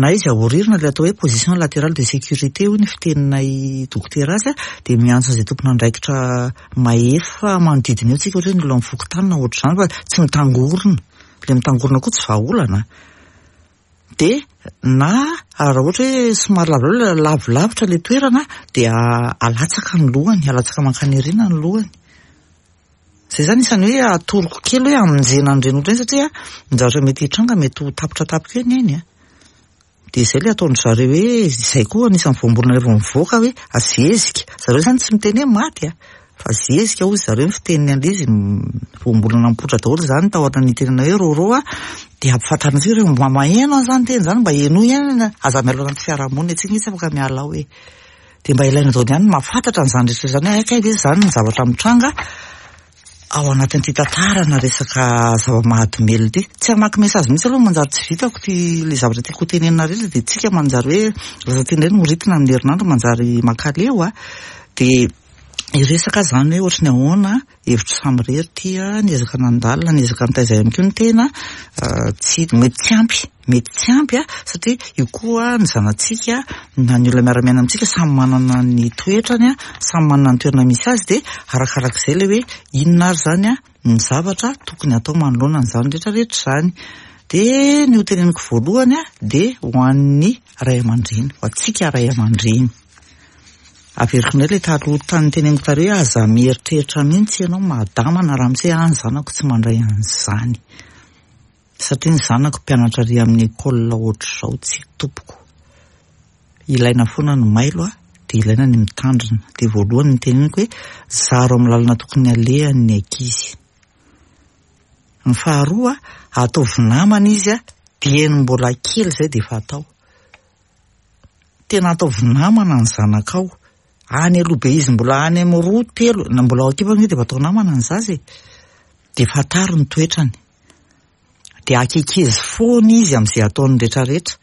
A: Na izy ahorirana ilay atao hoe position latérale de sécurité hoy ny fiteninay dokotera azy dia miantso an'izay tompon'andraikitra mahefa manodidina eo tsika ohatra hoe ny olona amin'ny fokontany na ohatr'izany fa tsy mitangorona, ilay mitangorona koa tsy vahaolana dia na raha ohatra hoe somary lavilavitra ilay toerana dia alatsaka ny lohany, alatsaka mankany aoriana ny lohany. Izay izany isan'ny hoe atoroko kely hoe hamonjena an'ireny olona ireny satria ny zavatra mety hitranga mety ho tapitra tampoka eo ny ainy a. Dia izay ilay ataon-dry zareo hoe izay koa anisan'ny voambolana rehefa mivoaka hoe zezika. Zareo izany tsy miteny hoe maty a, fa zezika hoy zareo ny fiteniny an'ilay izy, voambolana mipoitra daholo izany tao anatin'ny nitenenana hoe rôrô a, dia ampifantarina antsika hoe mba maheno an'izany teny izany mba henoy ihany, aza miala ao anaty fiarahamonina isika tsy afaka miala ao e. Dia mba ilaina daholo ihany ny mahafantatra an'izany rehetra izany hoe hay kay ve izany ny zavatra mitranga ao anatin'ity tantarana resaka zava-mahadomelina ity. Tsy hamaky message mihitsy aloha manjary tsy vitako ity ilay zavatra tiako hotenenina rehetra dia tsika manjary hoe lasa tena indray no ritina amin'ny herinandro manjary mankaleo a. Dia hiresaka aho izany hoe ohatry ny ahoana Hevitro samirery ity a, niezaka nandalina, niezaka nitaiza ihany koa ny tena, tsy, mety tsy ampy, mety tsy ampy a, satria io koa ny zanatsika na ny olona miara-miaina amintsika samy manana ny toetrany a, samy manana ny toerana misy azy dia arakarak'izay ilay hoe inona ary izany a ny zavatra tokony atao manoloana an'izany rehetra rehetra izany. Dia ny ho teneniko voalohany a dia ho an'ny ray aman-dreny, ho antsika ray aman-dreny. Averiko indray ilay taloha tany teneniko tary hoe aza mieritreritra mihitsy ianao madama na ramose ah ny zanako tsy mandray an'izany satria ny zanako mpianatra ary amin'ny école ohatr'izao tsy tompoko. Ilaina foana ny mailo ah dia ilaina ny mitandrina. Dia voalohany ny teneniko hoe zaro amin'ny lalana tokony alehany ny ankizy. Ny faharoa ataovy namana izy dieny mbola kely izay dia efa atao. Tena ataovy namana ny zanakao. Any aloha be izy mbola any amin'ny roa, telo, na mbola ao an-kibo anie dia efa atao namana ny zaza e. Dia fantaro ny toetrany. Dia akekezo foana izy amin'izay ataony rehetrarehetra.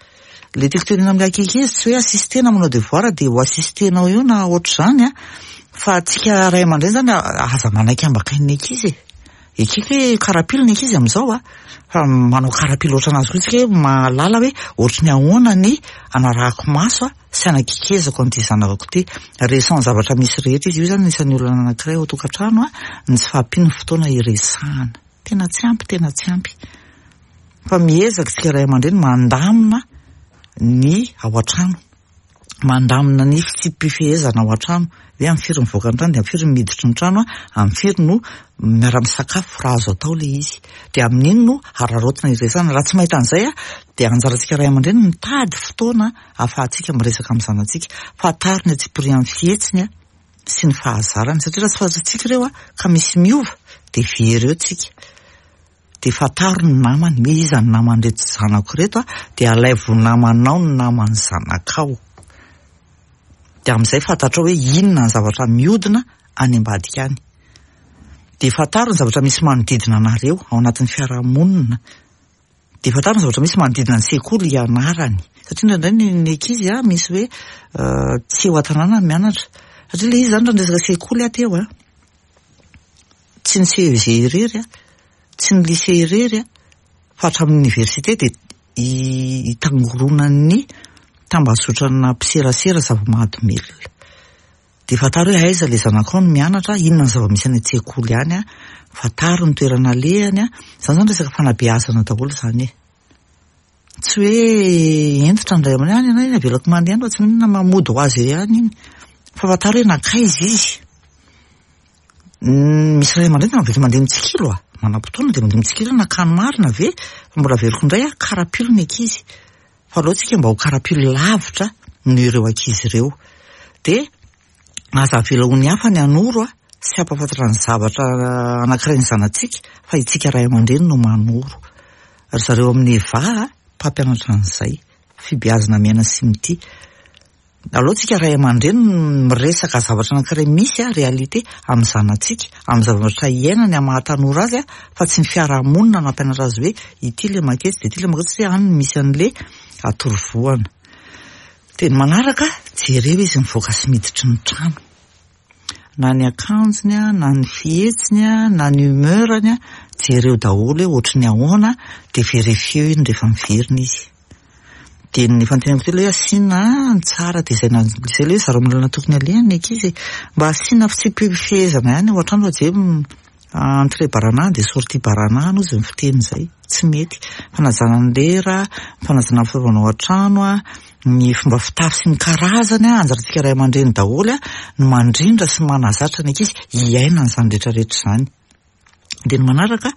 A: Ilay tiako tenenina amin'ilay ankizy tsy hoe assistena manao devoir dia ho assistenao eo na ohatr'izany an, fa antsika ray aman-dreny izany aza manaiky ambakain'ny ankizy e. Ekeko hoe karapilo ny ankizy amin'izao an, fa manao karapilo ohatran'azy koa isika hoe mahalala hoe ohatry ny ahoana ny anarahako maso an sy anakikezako an'ity zanako ity. Resaho ny zavatra misy rehetra izy. Io izany anisan'ny olana anankiray ao an-tokantrano an, ny tsy fahampian'ny fotoana iresahana. Tena tsy ampy, tena tsy ampy. Fa miezaka isika ray aman-dreny mandamina ny ao an-trano. Mandamina ny fitsipi-pifehezana ao an-trano. Hoe amin'ny firy mivoaka ny trano dia amin'ny firy miditry ny trano, amin'ny firy no miara-misakafo raha azo atao ilay izy. Dia amin'iny no araraotina iresahana. Raha tsy mahita an'izay dia anjarantsika ray aman-dreny mitady fotoana ahafahantsika miresaka amin'ny zanatsika. Fantaro ny antsipirian'ny fihetsiny sy ny fahazarany. Satria raha tsy fantatsika ireo ka misy miova dia very eo tsika. Dia fantaro ny namany hoe iza ny naman'ireto zanako ireto a, dia alaivo ho namanao ny naman'ny zanakao. Dia amin'izay fantatrao hoe inona ny zavatra mihodina any ambadika any. Dia fantaro ny zavatra misy manodidina anareo ao anatin'ny fiarahamonina. Dia fantaro ny zavatra misy manodidina ny sekoly hianarany. Satria indraindray ny, ny ankizy a, misy hoe tsy eo an-tanàna ny mianatra. Satria ilay izy izany raha niresaka sekoly aho teo a, tsy ny CEG irery a, tsy ny lycée irery a, fa hatramin'ny université dia itangoronan'ny tambazotrana mpiserasera zava-mahadomelina. Dia fantaro hoe aiza ilay zanakao no mianatra, inona ny zava-misy any an-tsekoly any, fantaro ny toerana alehany. Izany izany resaka fanabeazana daholo izany e. Tsy hoe hentitra ny ray aman-dreny, any ianao avelako mandeha any fa tsy maninona mamody ho azy eo ihany iny. Fa fantaro hoe nankaiza izy. Misy ray aman-dreny tena mavela mandeha mitsikilo a! Manam-potoana dia mandeha mitsikilo nankany marina ve? Fa mbola averiko indray a, karapilo ny ankizy. Fa aleo tsika mba ho karapilo lavitra noho ireo ankizy ireo. Dia aza avela ho ny hafa ny hanoro sy hampahafantatra ny zavatra anankiray ny zanatsika fa itsika ray aman-dreny no manoro. Ry zareo amin'ny Eva mpampianatra an'izay. Fibeazana miaina sy mitia. Aleo tsika ray aman-dreny miresaka zavatra anankiray misy a, réalité, amin'ny zanatsika, amin'ny zavatra iainany amin'ny maha tanora azy a, fa tsy ny fiarahamonina no hampianatra azy hoe ity le maketsy dia ity le maketsy satria any no misy an'le atorovohana. Dia ny manaraka, jereo izy mivoaka sy miditry ny trano. Na ny akanjony a, na ny fihetsiny a, na ny humeur-ny a, jereo daholo hoe ohatry ny ahoana dia verifieo iny rehefa miverina izy. Dia ny efa noteneniko teo ilay hoe asiana ny tsara dia izay na izay ilay hoe zareo amin'ny lalana tokony alehany ny ankizy e. Mba asiana fitsipi-pifehezana ihany ao an-trano fa jereo entrée baranahana dia sortie baranahana hozy ny fiteny izay. Tsy mety. Fanajana ny lera, fanajana ny fitaovana ao an-trano, ny fomba fitafy sy ny karazany, anjarantsika ray aman-dreny daholo no mandrindra sy manazatra ny ankizy hiaina an'izany rehetra rehetra izany. Dia ny manaraka,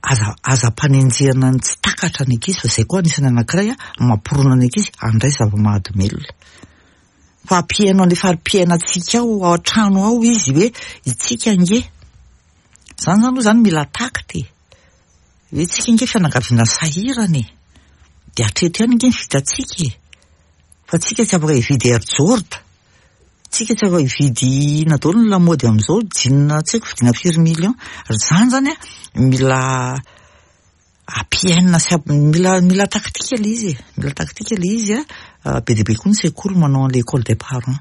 A: aza aza ampanenjehana ny tsy takatra ny ankizy fa izay koa anisan'ny anankiray mampirona ny ankizy handray zava-mahadomelina. Fa ampihaino an'ilay fari-piainantsika ao ao an-trano ao izy hoe itsika ange. Izany izany aloha izany mila tact e. Hoe itsika ange fianakaviana sahirana e. Dia hatreto ihany ange ny vitantsika e. Fa tsika tsy afaka hividy Air Jorda. Tsika tsy afaka hividy inona daholo ny lamaody amin'izao, jean tsy haiko vidiana firy millions. Izany izany an, mila ampiainina sy mila mila tactique ilay izy e, mila tactique ilay izy an, be dia be koa ny sekoly manao an'ilay école des parents.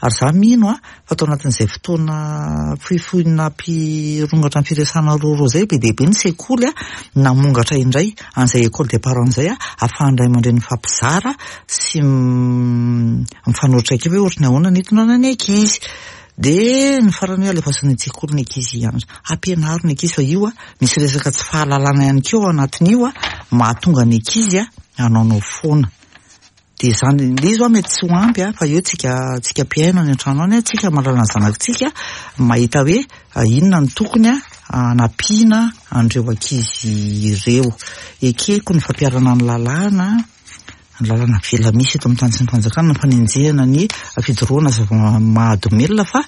A: Ary za mino an, fa tao anatin'izay fotoana fohifohy nampirongatra ny firesahana rôrô izay, be dia be ny sekoly an, namongatra indray an'izay école des parents izay an, ahafahan'ny ray aman-dreny mifampizara sy mifanohitra traikefa hoe ohatry ny ahoana ny hitondrana ny ankizy. Dia ny farany hoe alefaso any an-tsekoly ny ankizy hianatra. Ampianaro ny ankizy fa io an, misy resaka tsy fahalalana ihany koa ao anatin'io an, mahatonga ny ankizy an, hanaonao foana. Dia izany, ilay izy hoa mety tsy ho ampy an, fa eo tsika, tsika mpihaino any an-trano any an, tsika mahalala ny zanakitsika, mahita hoe inona no tokony hanampiana an'ireo ankizy ireo. Ekeko ny fampiharana ny lalàna, ny lalàna avela misy eto amin'ny tany sy ny fanjakana, ny fanenjehana ny fidorohana zava-mahadomelina fa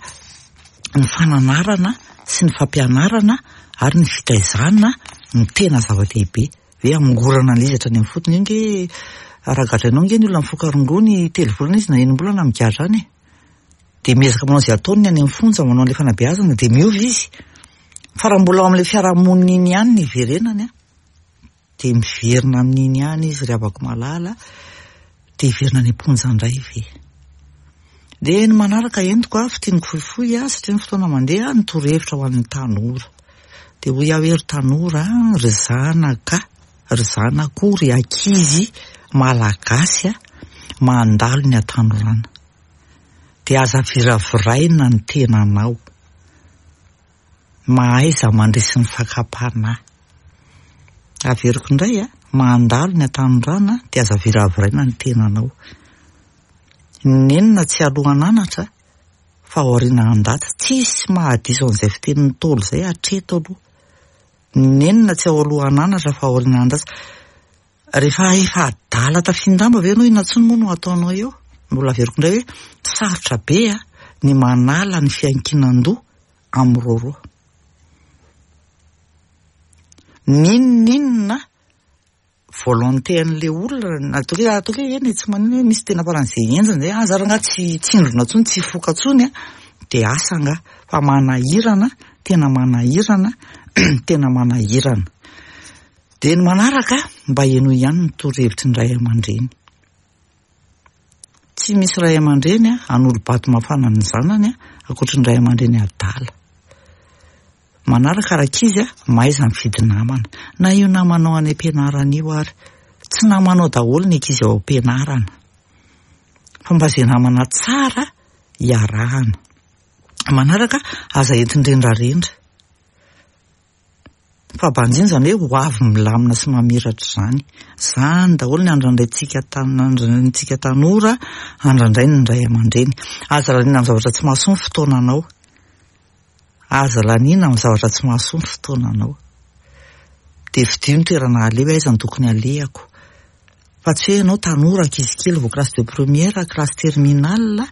A: ny fananarana sy ny fampianarana ary ny fitaizana no tena zava-dehibe. Hoe hamongorana an'ilay izy hatrany amin'ny fotony. Io nge raha gadrainao nge ny olona mifoka rongony telo volana izy na enim-bolana migadra any e. Dia miezaka manao izay ataony ny any amin'ny fonja manao an'ilay fanabeazana dia miova izy. Fa raha mbola ao amin'ilay fiarahamonina iny ihany ny hiverenany an. Dia miverina amin'iny ihany izy ry havako malala, dia hiverina any am-ponja indray ve? Dia ny manaraka entiko a, fintiniko fohifohy a, satria ny fotoana mandeha, ny torohevitra ho an'ny tanora. Dia hoy aho hoe ry tanora, ry zanaka, ry zanako, ry ankizy malagasy a, mandalo ny hatanorana. Dia aza viraviraina ny tenanao. Mahaiza mandresy ny fakam-panahy. Averiko indray a, mandalo ny hatanorana dia aza viraviraina ny tenanao. Ny nenina tsy alohan'anatra fa aoriana handatsa. Tsisy mahadiso an'izay fitenin'ny Ntaolo izay hatreto aloha. Ny nenina tsy ao alohan'anatra fa aoriana handatsa. Rehefa efa adala tafin-damba ve ianao inona intsony moa no ataonao eo? Mbola averiko indray hoe sarotra be ny manala ny fiankinan-doha amin'ny rôrô. N'inon'inona volonté an'ilay olona na ataoko hoe ataoko hoe eny e tsy maninona hoe misy tena faran'izay henjana zay, ah za rangahy tsy tsindrona intsony tsy hifoka intsony an, dia asa angaha fa manahirana, tena manahirana, tena manahirana. Dia ny manaraka mba henoy ihany ny torohevitry ny ray aman-dreny. Tsy misy ray aman-dreny hanolo-bato mafana ny zanany ankoatry ny ray aman-dreny adala. Manaraka rankizy a, mahaiza mifidy namana. Na io namanao any am-pianarana io ary. Tsy namanao daholo ny ankizy ao am-pianarana. Fa mba izay namana tsara iarahana. Manaraka, aza entin-drendrarendra. Fa banjino izany hoe ho avy milamina sy mamiratra izany. Izany daholo ny andrandraintsika andrandraintsika tanora, andrandrain'ny ray aman-dreny. Aza laniana amin'ny zavatra tsy mahasoa ny fotoananao. Aza laniana amin'ny zavatra tsy mahasoa ny fotoananao. Dia fidio ny toerana aleha hoe aiza no tokony alehako. Fa tsy hoe ianao tanora ankizy kely vao classe de première, classe terminale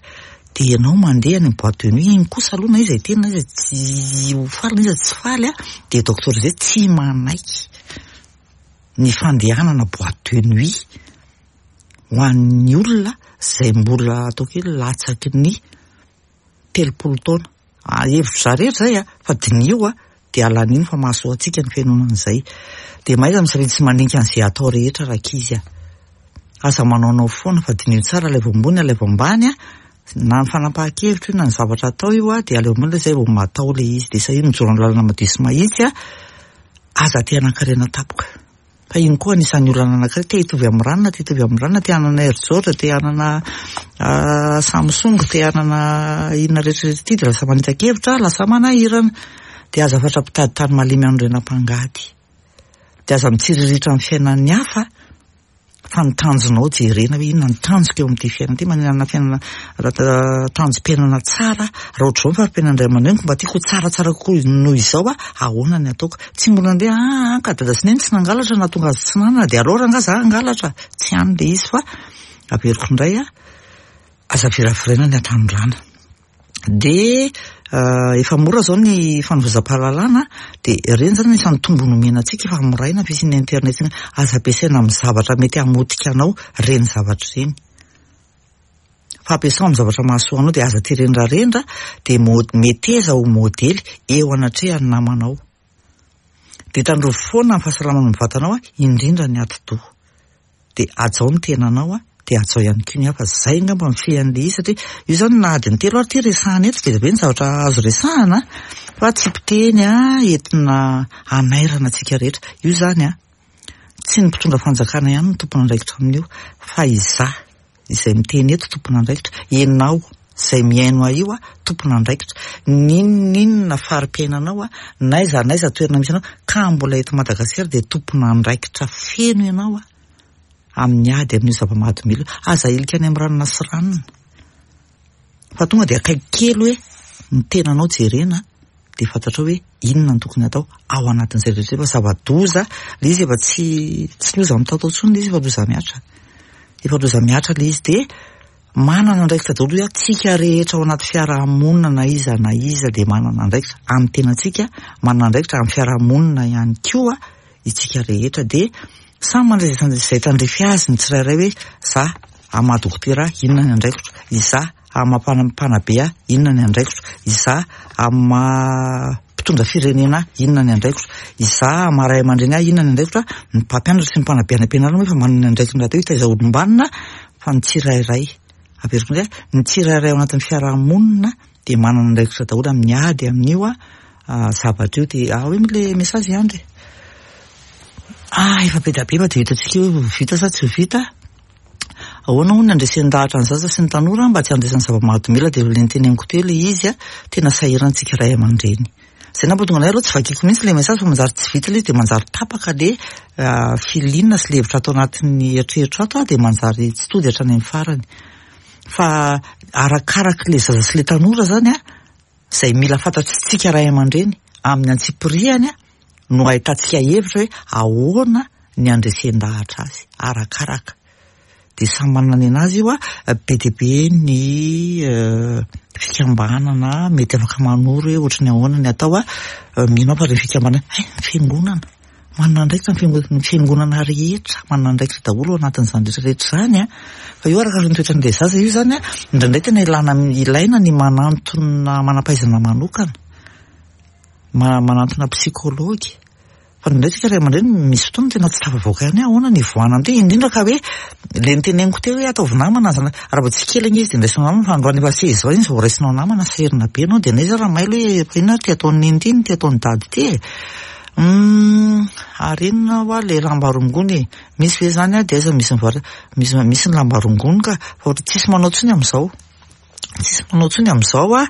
A: dia ianao mandeha any amin'ny boite de nuit, iny kosa aloha na iza hiteny na iza tsy ho faly na iza tsy faly dia docteur Zay tsy manaiky ny fandehanana boite de nuit ho an'ny olona izay mbola ataoko hoe latsaky ny 30 taona. Ah, hevitro za rehetra zay a, fa diniho a, dia alanino fa mahasoa antsika ny fihainoana an'izay. Dia mahaiza misafidy sy mandinika an'izay atao rehetra rankizy a. Aza manaonao foana fa diniho tsara alaivo ambony alaivo ambany a, na ny fanapahan-kevitra io na ny zavatra atao io a, dia alaivo ambony ilay zay vao matao ilay izy. Dia sahia mijoro amin'ny lalana madio sy mahitsy a, aza te hanan-karena tampoka. Fa iny koa anisan'ny olana anankiray, te hitovy amin'ny ranona, te hitovy amin'ny ranona, te hanana Air Jordan, te hanana Samsung, te hanana inona rehetra rehetra ity dia lasa manita-kevitra, lasa manahirana. Dia aza fatra-pitady tany malemy hanorenam-pangady. Dia aza mitsiriritra amin'ny fiainan'ny hafa fa ny tanjonao jerena hoe inona ny tanjoko eo amin'ity fiainana ity, manana fiainana tanjom-piainana tsara, raha ohatr'izao ny fari-piainan'ny ray aman-dreniko mba tiako ho tsaratsara kokoa noho izao aho, ahoana ny ataoko? Tsy mbola nandeha aa ka dada sy neny tsy nangalatra nahatonga azy tsy nanana dia aleo rangaha za hangalatra, tsy any ilay izy fa averiko indray a, aza viraviraina ny hatanorana. Dia efa mora izao ny fanovozam-pahalalana dia ireny izany anisan'ny tombony omena antsika efa moraina ny fisian'ny internet iny, aza ampiasaina amin'ny zavatra mety hamotika anao ireny zavatra ireny. Fa ampiasao amin'ny zavatra mahasoa anao dia aza tia rendrarendra dia meteza ho modely eo anatrehan'ny namanao. Dia tandrovy foana ny fahasalamana ny vatanao indrindra ny atidoha. Dia hajao ny tenanao dia hajao ihany koa ny hafa. Zay angamba ny fean'ilay izy satria io izany na adiny telo ary ity resahana eto be dia be ny zavatra azo resahana fa tsy mpiteny entina hanairana antsika rehetra. Io izany tsy ny mpitondra fanjakana ihany no tompon'andraikitra amin'io fa izaho izay miteny eto tompon'andraikitra, ianao izay mihaino ahy io tompon'andraikitra, n'inon'inona fari-piainanao n'aiza n'aiza toerana misy anao ka mbola eto Madagasikara dia tompon'andraikitra feno ianao amin'ny ady amin'io zava-mahadomelina io. Aza ahilika any amin'ny ranona sy ranona fa tonga dia akaiky kely hoe ny tenanao jerena dia fantatrao hoe inona no tokony atao ao anatin'izay rehetra izay fa zava-doza ilay izy efa tsy tsy loza mitatao intsony ilay izy efa loza mihatra efa loza mihatra ilay izy dia manana andraikitra daholo hoe tsika rehetra ao anaty fiarahamonina na iza na iza dia manana andraikitra amin'ny tenantsika manana andraikitra amin'ny fiarahamonina ihany koa isika rehetra dia samy mandray izay tandrify azy ny tsirairay hoe za amin'ny maha dokotera ahy inona ny andraikitro, izaho amin'ny maha mpanabe ahy inona ny andraikitro, izaho amin'ny maha. mpitondra firenena ahy, inona ny andraikitro? Izaho maha ray aman-dreny ahy, inona ny andraikitro? Ny mpampianatra sy ny mpanabe any am-pianarana moa efa manana ny andraikiny rahateo hitaiza olom-banona fa ny tsirairay, averiko indray, ny tsirairay ao anatin'ny fiaraha-monina dia manana andraikitra daholo amin'ny ady amin'io zavatra io. Dia ahoa moa ilay message Andry e? Ah, efa be dia be fa dia hitantsika eo hoe vita sa tsy ho vita. Ahoana hono ny handresen-dahatra ny zaza sy ny tanora mba tsy handraisany zava-mahadomelina dia ilay noteneniko teo ilay izy a, tena sahirana tsika ray aman-dreny. Izay nampatonga anay aloha tsy vakiko mihitsy ilay message fa manjary tsy vita ilay izy dia manjary tapaka ilay feeling sy ilay hevitra ato anatin'ny eritreritro ato dia manjary tsy tody hatrany amin'ny farany. Fa arakarak'ilay zaza sy ilay tanora izany a, izay mila fantatr'tsika ray aman-dreny amin'ny antsipirihany no ahitantsika hevitra hoe ahoana ny handresen-dahatra azy, arakaraka. Dia samy manana ny an'azy io, be dia be ny fikambanana mety afaka manoro hoe ohatry ny ahoana ny atao, mino aho fa ireny fikambanana, hay ny fiangonana. Manana andraikitra ny fiangonana, ny fiangonana rehetra manana andraikitra daholo ao anatin'izany rehetra rehetra izany an. Fa io araka ny toetran'ilay zaza io izany an, indraindray tena ilana ilaina ny manantona manam-pahaizana manokana, manantona psychologue. Fa indraindray tsika ray aman-dreny misy fotoana tena tsy tafavoaka ihany hoe ahoana ny hivoahana amin'ity, indrindra ka hoe ilay noteneniko teo hoe ataovy namana ny zanaka, raha vao tsy kely ange izy dia andraisinao namana fa androany efa seize ans izy vao raisinao namana, sahirana be ianao dia n'aiza raha mailo hoe fa inona ary ity ataon'i neny ity, inona ity ataon'i dada ity e. Humm ary inona hoa le lamba rongony e? Misy ve zany dia aiza misy mivarotra? Misy misy ny lamba rongony ka, fa ohatra tsisy manao tsony amin'izao, tsisy manao tsony amin'izao a,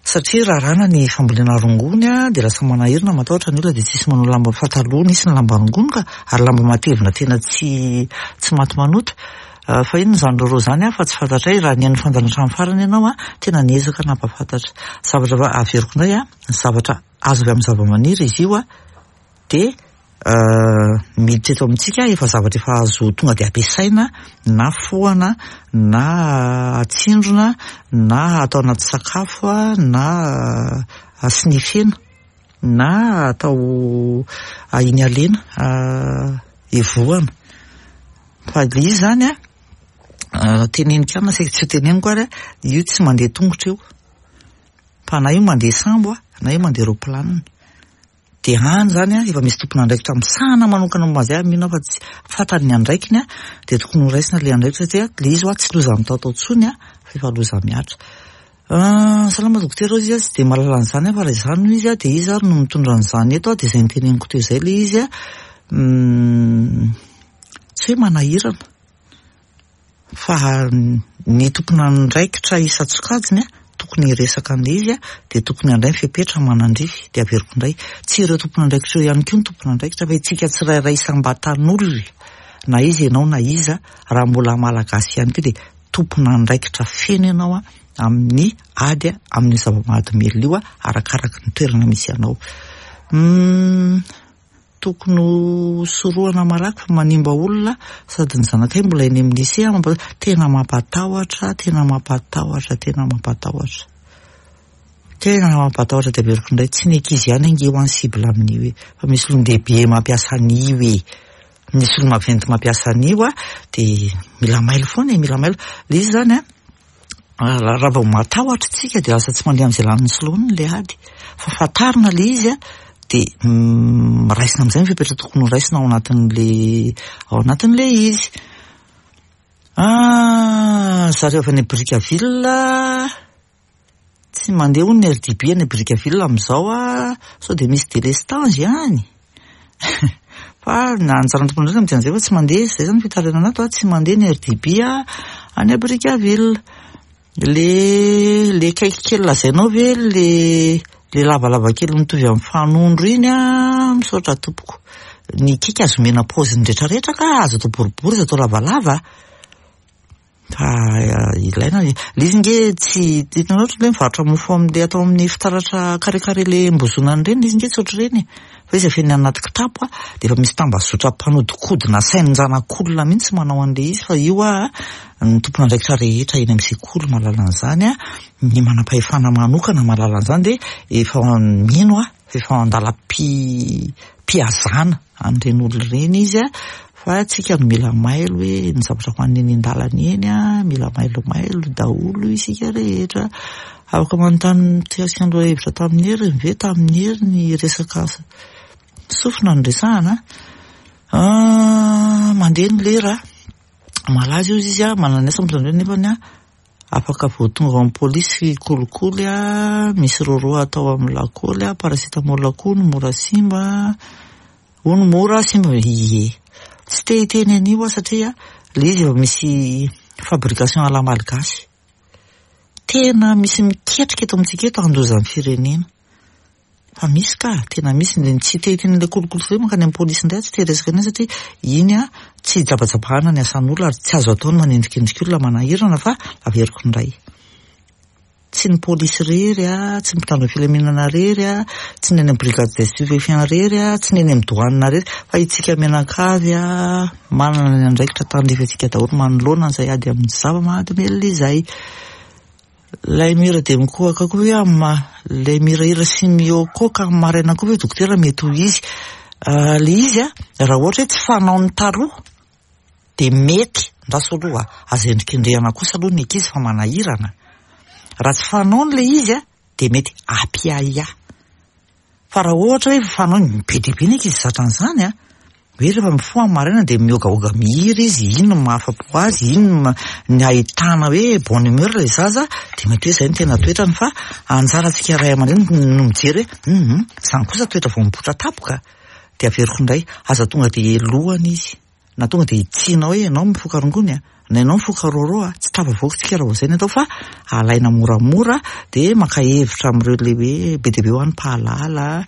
A: satria raràna ny fambolena rongony a, dia lasa manahirana matahotra ny olona dia tsisy manao lamba fa taloha nisy ny lamba rongony ka, ary lamba matevina tena tsy tsy maty manota. Fa inona izany roro izany a, fa tsy fantatray, raha nihaino fandaharana hatramin'ny farany ianao a, tena niezaka nampahafantatra zavatra averiko indray a, ny zavatra Azo avy amin'ny zavamaniry izy io dia miditra eto amintsika efa zavatra efa azo tonga dia ampiasaina na fohana na atsindrona na atao anaty sakafo na snifena na atao inhalena evohana. Fa ilay izy izany an, teneniko ihany na saika tsy ho teneniko ary, io tsy mandeha tongotra io. Fa na io mandeha sambo a, na io mandeha roaplanina. Dia any izany a, efa misy tompon'andraikitra misahana manokana momba an'izay ary mino aho fa tsy fantany ny andraikiny a, dia tokony ho raisina ilay andraikitra satria ilay izy hoa tsy loza mitaotao intsony a, fa efa loza mihatra. Salama dokotera hoy izy a, tsy dia mahalala an'izany aho fa raha izany hoy izy a, dia iza ary no mitondra an'izany eto a, dia izay noteneniko teo izay ilay izy a, tsy hoe manahirana. Fa ny tompon'andraikitra isan-tsokajiny tokony hiresaka an'ilay izy dia tokony handray ny fepetra manandrify. Dia averiko indray, tsy ireo tompon'andraikitra ireo ihany koa no tompon'andraikitra fa isika tsirairay isam-batan'olona, na iza ianao na iza, raha mbola Malagasy ihany koa dia tompon'andraikitra feno ianao amin'ny ady amin'io zava-mahadomelina io arakaraka ny toerana misy anao. Tokony ho sorohana malaky fa manimba olona sady ny zanakay mbola eny amin'ny lycée mampatahotra tena mampatahotra tena mampatahotra tena mampatahotra tena mampatahotra dia averiko indray tsy ny ankizy ihany ange ho any cible amin'io e fa misy olon-dehibe mampiasa an'io e misy olo-maventy mampiasa an'io a dia mila mailo foana e mila mailo ilay izy izany a Raha vao matahotra isika dia lasa tsy mandeha amin'izay lanin'ny soloany ilay ady. Fa fantarina ilay izy dia raisina amin'izay ny fepetra tokony ho raisina ao anatin'ilay ao anatin'ilay izy. Ah, zareo avy any Brickaville tsy mandeha hono ny RDB any Brickaville amin'izao ah, sao dia misy délestage any. Fa na anjaran'ny tompon'andraikitra mijery an'izay fa tsy mandeha, izay zany fitarainana ato, tsy mandeha ny RDB any Brickaville. Le le cake kely lazainao ve le le lavalava kely mitovy amin'ny fanondro iny an, misaotra tompoko. Ny cake azo omena paoziny retraretra ka, azo atao boribory, azo atao lavalava. Fa ilaina ilay izy nge tsy hitanao ohatra hoe mivarotra mofo amin'ilay atao amin'ny fitaratra carré carré ilay embozonana ireny, ilay izy nge tsy ohatr'ireny e. Fa izy afenina anaty kitapo a, dia efa misy tambazotra mpanodinkodina sainin-janak'olona mihitsy manao an'ilay izy fa io a, ny tompon'andraikitra rehetra eny amin'ny sekoly mahalala an'izany a, ny manam-pahefana manokana mahalala an'izany dia efa mino aho fa efa an-dalam-pihazana an'ireny olona ireny izy a, fa tsika no mila mailo hoe ny zavatra hohanina eny an-dalana eny a, mila mailomailo daholo isika rehetra. Afaka manontany mikasika ny lohahevitra tamin'ny heriny ve tamin'ny heriny resaka sofina no resahana a? Mandeha ny lera, malaza io izy a, manana ny asa mitondra nefany a, afaka vao tonga ao amin'ny polisy kolikoly a, misy roro atao amin'ny lakôly a, paracetamol koa no mora simba, hono mora simba, ie. Tsy te hiteny an'io aho satria ilay izy efa misy fabrication à la malgache. Tena misy miketrika eto amintsika eto handoza ny firenena. Fa misy ka, tena misy, ny tsy te hiteny ilay kolikoly hoe mankany amin'ny polisy indray aho tsy te hiresaka an'iny satria iny an tsy hijabajabahana ny asan'olona ary tsy azo atao ny manendrikendrika olona manahirana fa averiko indray. Tsy ny polisy irery an, tsy ny mpitandro ny filaminana irery an, tsy ny any amin'ny brigade des stupéfiants irery an, tsy ny eny amin'ny douane irery fa itsika mianakavy an manana ny andraikitra tandrify antsika daholo manoloana an'izay ady amin'ny zava-mahadomelina izay. Ilay mihira dia mikohaka koa ve amin'ny ma, ilay mihirahira sy mihoakoaka amin'ny maraina koa ve dokotera mety ho izy? Ilay izy an, raha ohatra hoe tsy fanaon'ny taloha dia mety, andraso aloha, aza endrikendrehana kosa aloha ny ankizy fa manahirana. Raha tsy fanaony ilay izy an, dia mety hampiahiahy. Fa raha ohatra hoe efa fanaony, be dia be ny ankizy zatra an'izany an, hoe rehefa mifoha amin'ny maraina dia mihogahoga mihira izy, iny no mahafa-po azy, iny no ny ahitana hoe bonne humeur ilay zaza, dia mety hoe izay no tena toetrany fa anjarantsika ray aman-dreny no mijery hoe hum izany kosa toetra vao mipoitra tampoka, dia averiko indray, aza tonga dia helohana izy. Na tonga dia hitsiana hoe ianao mifoka rongony a, na ianao mifoka rôrô a, tsy tafavoaka tsika raha vao izay no atao fa alaina moramora dia maka hevitra amin'ireo ilay hoe be dia be hoa ny mpahalala,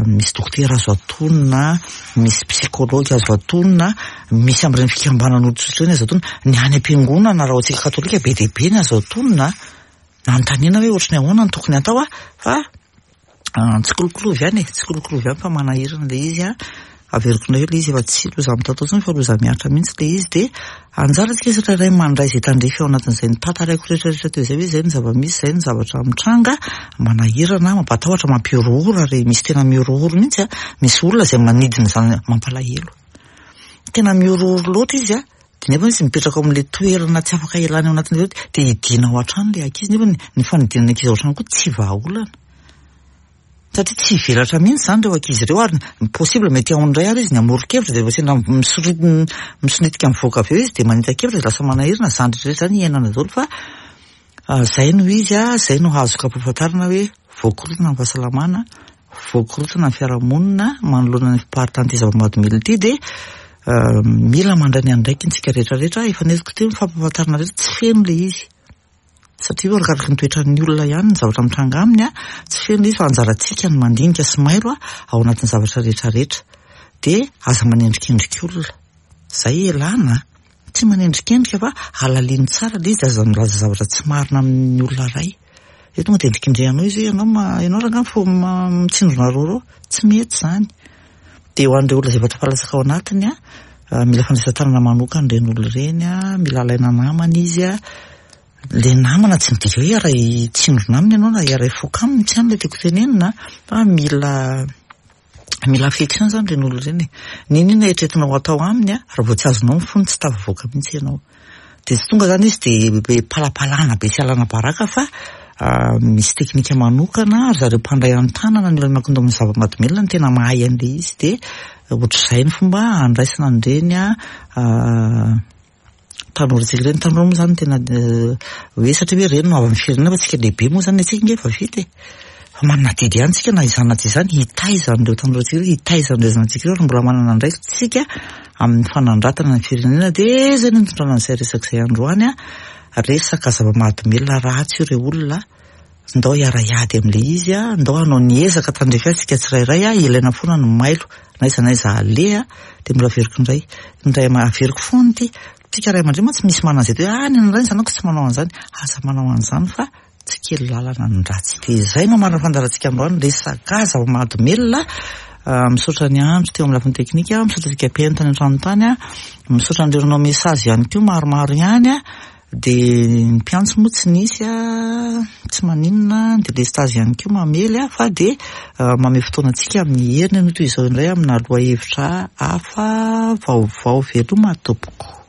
A: misy dokotera azo atonina, misy psychologue azo atonina, misy amin'ireny fikambanan'olon-tsotra ireny azo atonina, ny any am-piangonana raha ho antsika katolika be dia be ny azo atonina, anontaniana hoe ohatry ny ahoana no tokony atao a, fa Tsikolokoloavy ihany e, tsikolokoloavy ihany fa manahirana ilay izy an, averiko indray ilay izy efa tsy loza mitatao intsony fa loza mihatra mihitsy ilay izy dia anjarantsika tsirairay mandray izay tandrify ao anatin'izay notantaraiko rehetra rehetra teo izay hoe izay ny zava-misy, izay ny zavatra mitranga, manahirana, mampatahotra, mampihorohoro ary misy tena mihorohoro mihitsy an, misy olona izay manidina izany mampalahelo, tena mihorohoro loatra izy an, Dia nefa izy mipetraka ao amin'ilay toerana tsy afaka ialana ao anatin'ilay dia hidiana ao an-trano ilay ankizy nefa ny fanidinana ankizy ao an-trano koa tsy vahaolana. Satria tsy hivelatra mihitsy izany ireo ankizy ireo ary ny possible mety ao indray ary izy ny hamoron-kevitra dia rehefa sendra misoritika mivoaka avy eo izy dia manita-kevitra dia lasa manahirana izany rehetra rehetra izany iainana daholo fa izay no izy, izay no azoko ampahafantarina hoe voakorotana ny fahasalamana. Voakorontana ny fiarahamonina manoloana ny fiparitahan'ity zava-mahadomelina ity dia mila mandray ny andraikiny isika rehetra rehetra. Efa nentiko teo ny fampahafantarana rehetra, tsy feno ilay izy satria arakaraky ny toetran'ny olona ihany ny zavatra mitranga aminy, tsy feno ilay izy fa anjarantsika ny mandinika sy mailo ao anatin'ny zavatra rehetra rehetra. Dia aza manendrikendrika olona, izay ialana a! Tsy manendrikendrika fa alalino tsara ilay izy, aza milaza zavatra tsy marina amin'ny olona iray. Dia tonga dia endrikendrehanao izy hoe ianao ma, ianao rangahy fo mitsindrona rôrô. Tsy mety izany. Dia ho an'ireo olona izay efa tafalatsaka ao anatiny an, mila fandraisan-tanana manokana ireny olona ireny an, mila alaina namana izy an. Ilay namana tsy midika hoe hiara-hitsindrona aminy ianao na hiara-hifoka aminy, tsy any ilay tiako tenenina fa mila Mila affection zany ireny olona ireny e. N'inon'inona eritreretinao atao aminy a, raha vao tsy azonao ny fony tsy tafavoaka mihitsy ianao. Dia tsy tonga zany izy dia be palapalana be sy alana baraka fa misy teknika manokana, ry zareo mpandray an-tanana ny olona miankin-doha amin'ny zava-mahadomelina no tena mahay an'ilay izy dia ohatr'izay ny fomba andraisana an'ireny Tanora tsika ireny, tanora moa zany tena hoe satria hoe ireny no havan'ny firenena fa tsika lehibe moa zany antsika nge efa vita e. Fa manana adidy ihany tsika na izany na tsy izany hitaiza an'ireo tanora tsika ireo, hitaiza an'ireo zanatsika ireo ary mbola manana andraikitra tsika amin'ny fanandratana ny firenena dia izay no nitondrana an'izay resaka izay androany a, resaka zava-mahadomelina ratsy io re olona. Ndao hiara-hiady amin'ilay izy a, ndao hanao ny ezaka tandrify azy isika tsirairay a, ilaina foana ny mailo na aiza na aiza aleha, dia mbola averiko indray, ny ray aman, averiko foana ity, tsika ray aman-dreny mantsy misy manana an'izay hoe ah ny anay ny zanako tsy manao an'izany, aza manao an'izany fa tsy kely lalana ny ratsy. Dia izay no marina fandaharantsika androany, resaka zava-mahadomelina, misaotra ny andro teo amin'ny lafiny teknika, misaotra antsika mpihaino tany an-trano tany, misaotra an'ireo nanao message ihany koa maromaro ihany. Dia ny mpiantso moa tsy nisy a, tsy maninona, ny delestazy ihany koa mamely a, fa dia mamehy fotoana antsika amin'ny heriny anio toy izao indray amina lohahevitra hafa vaovao. Veloma tompoko.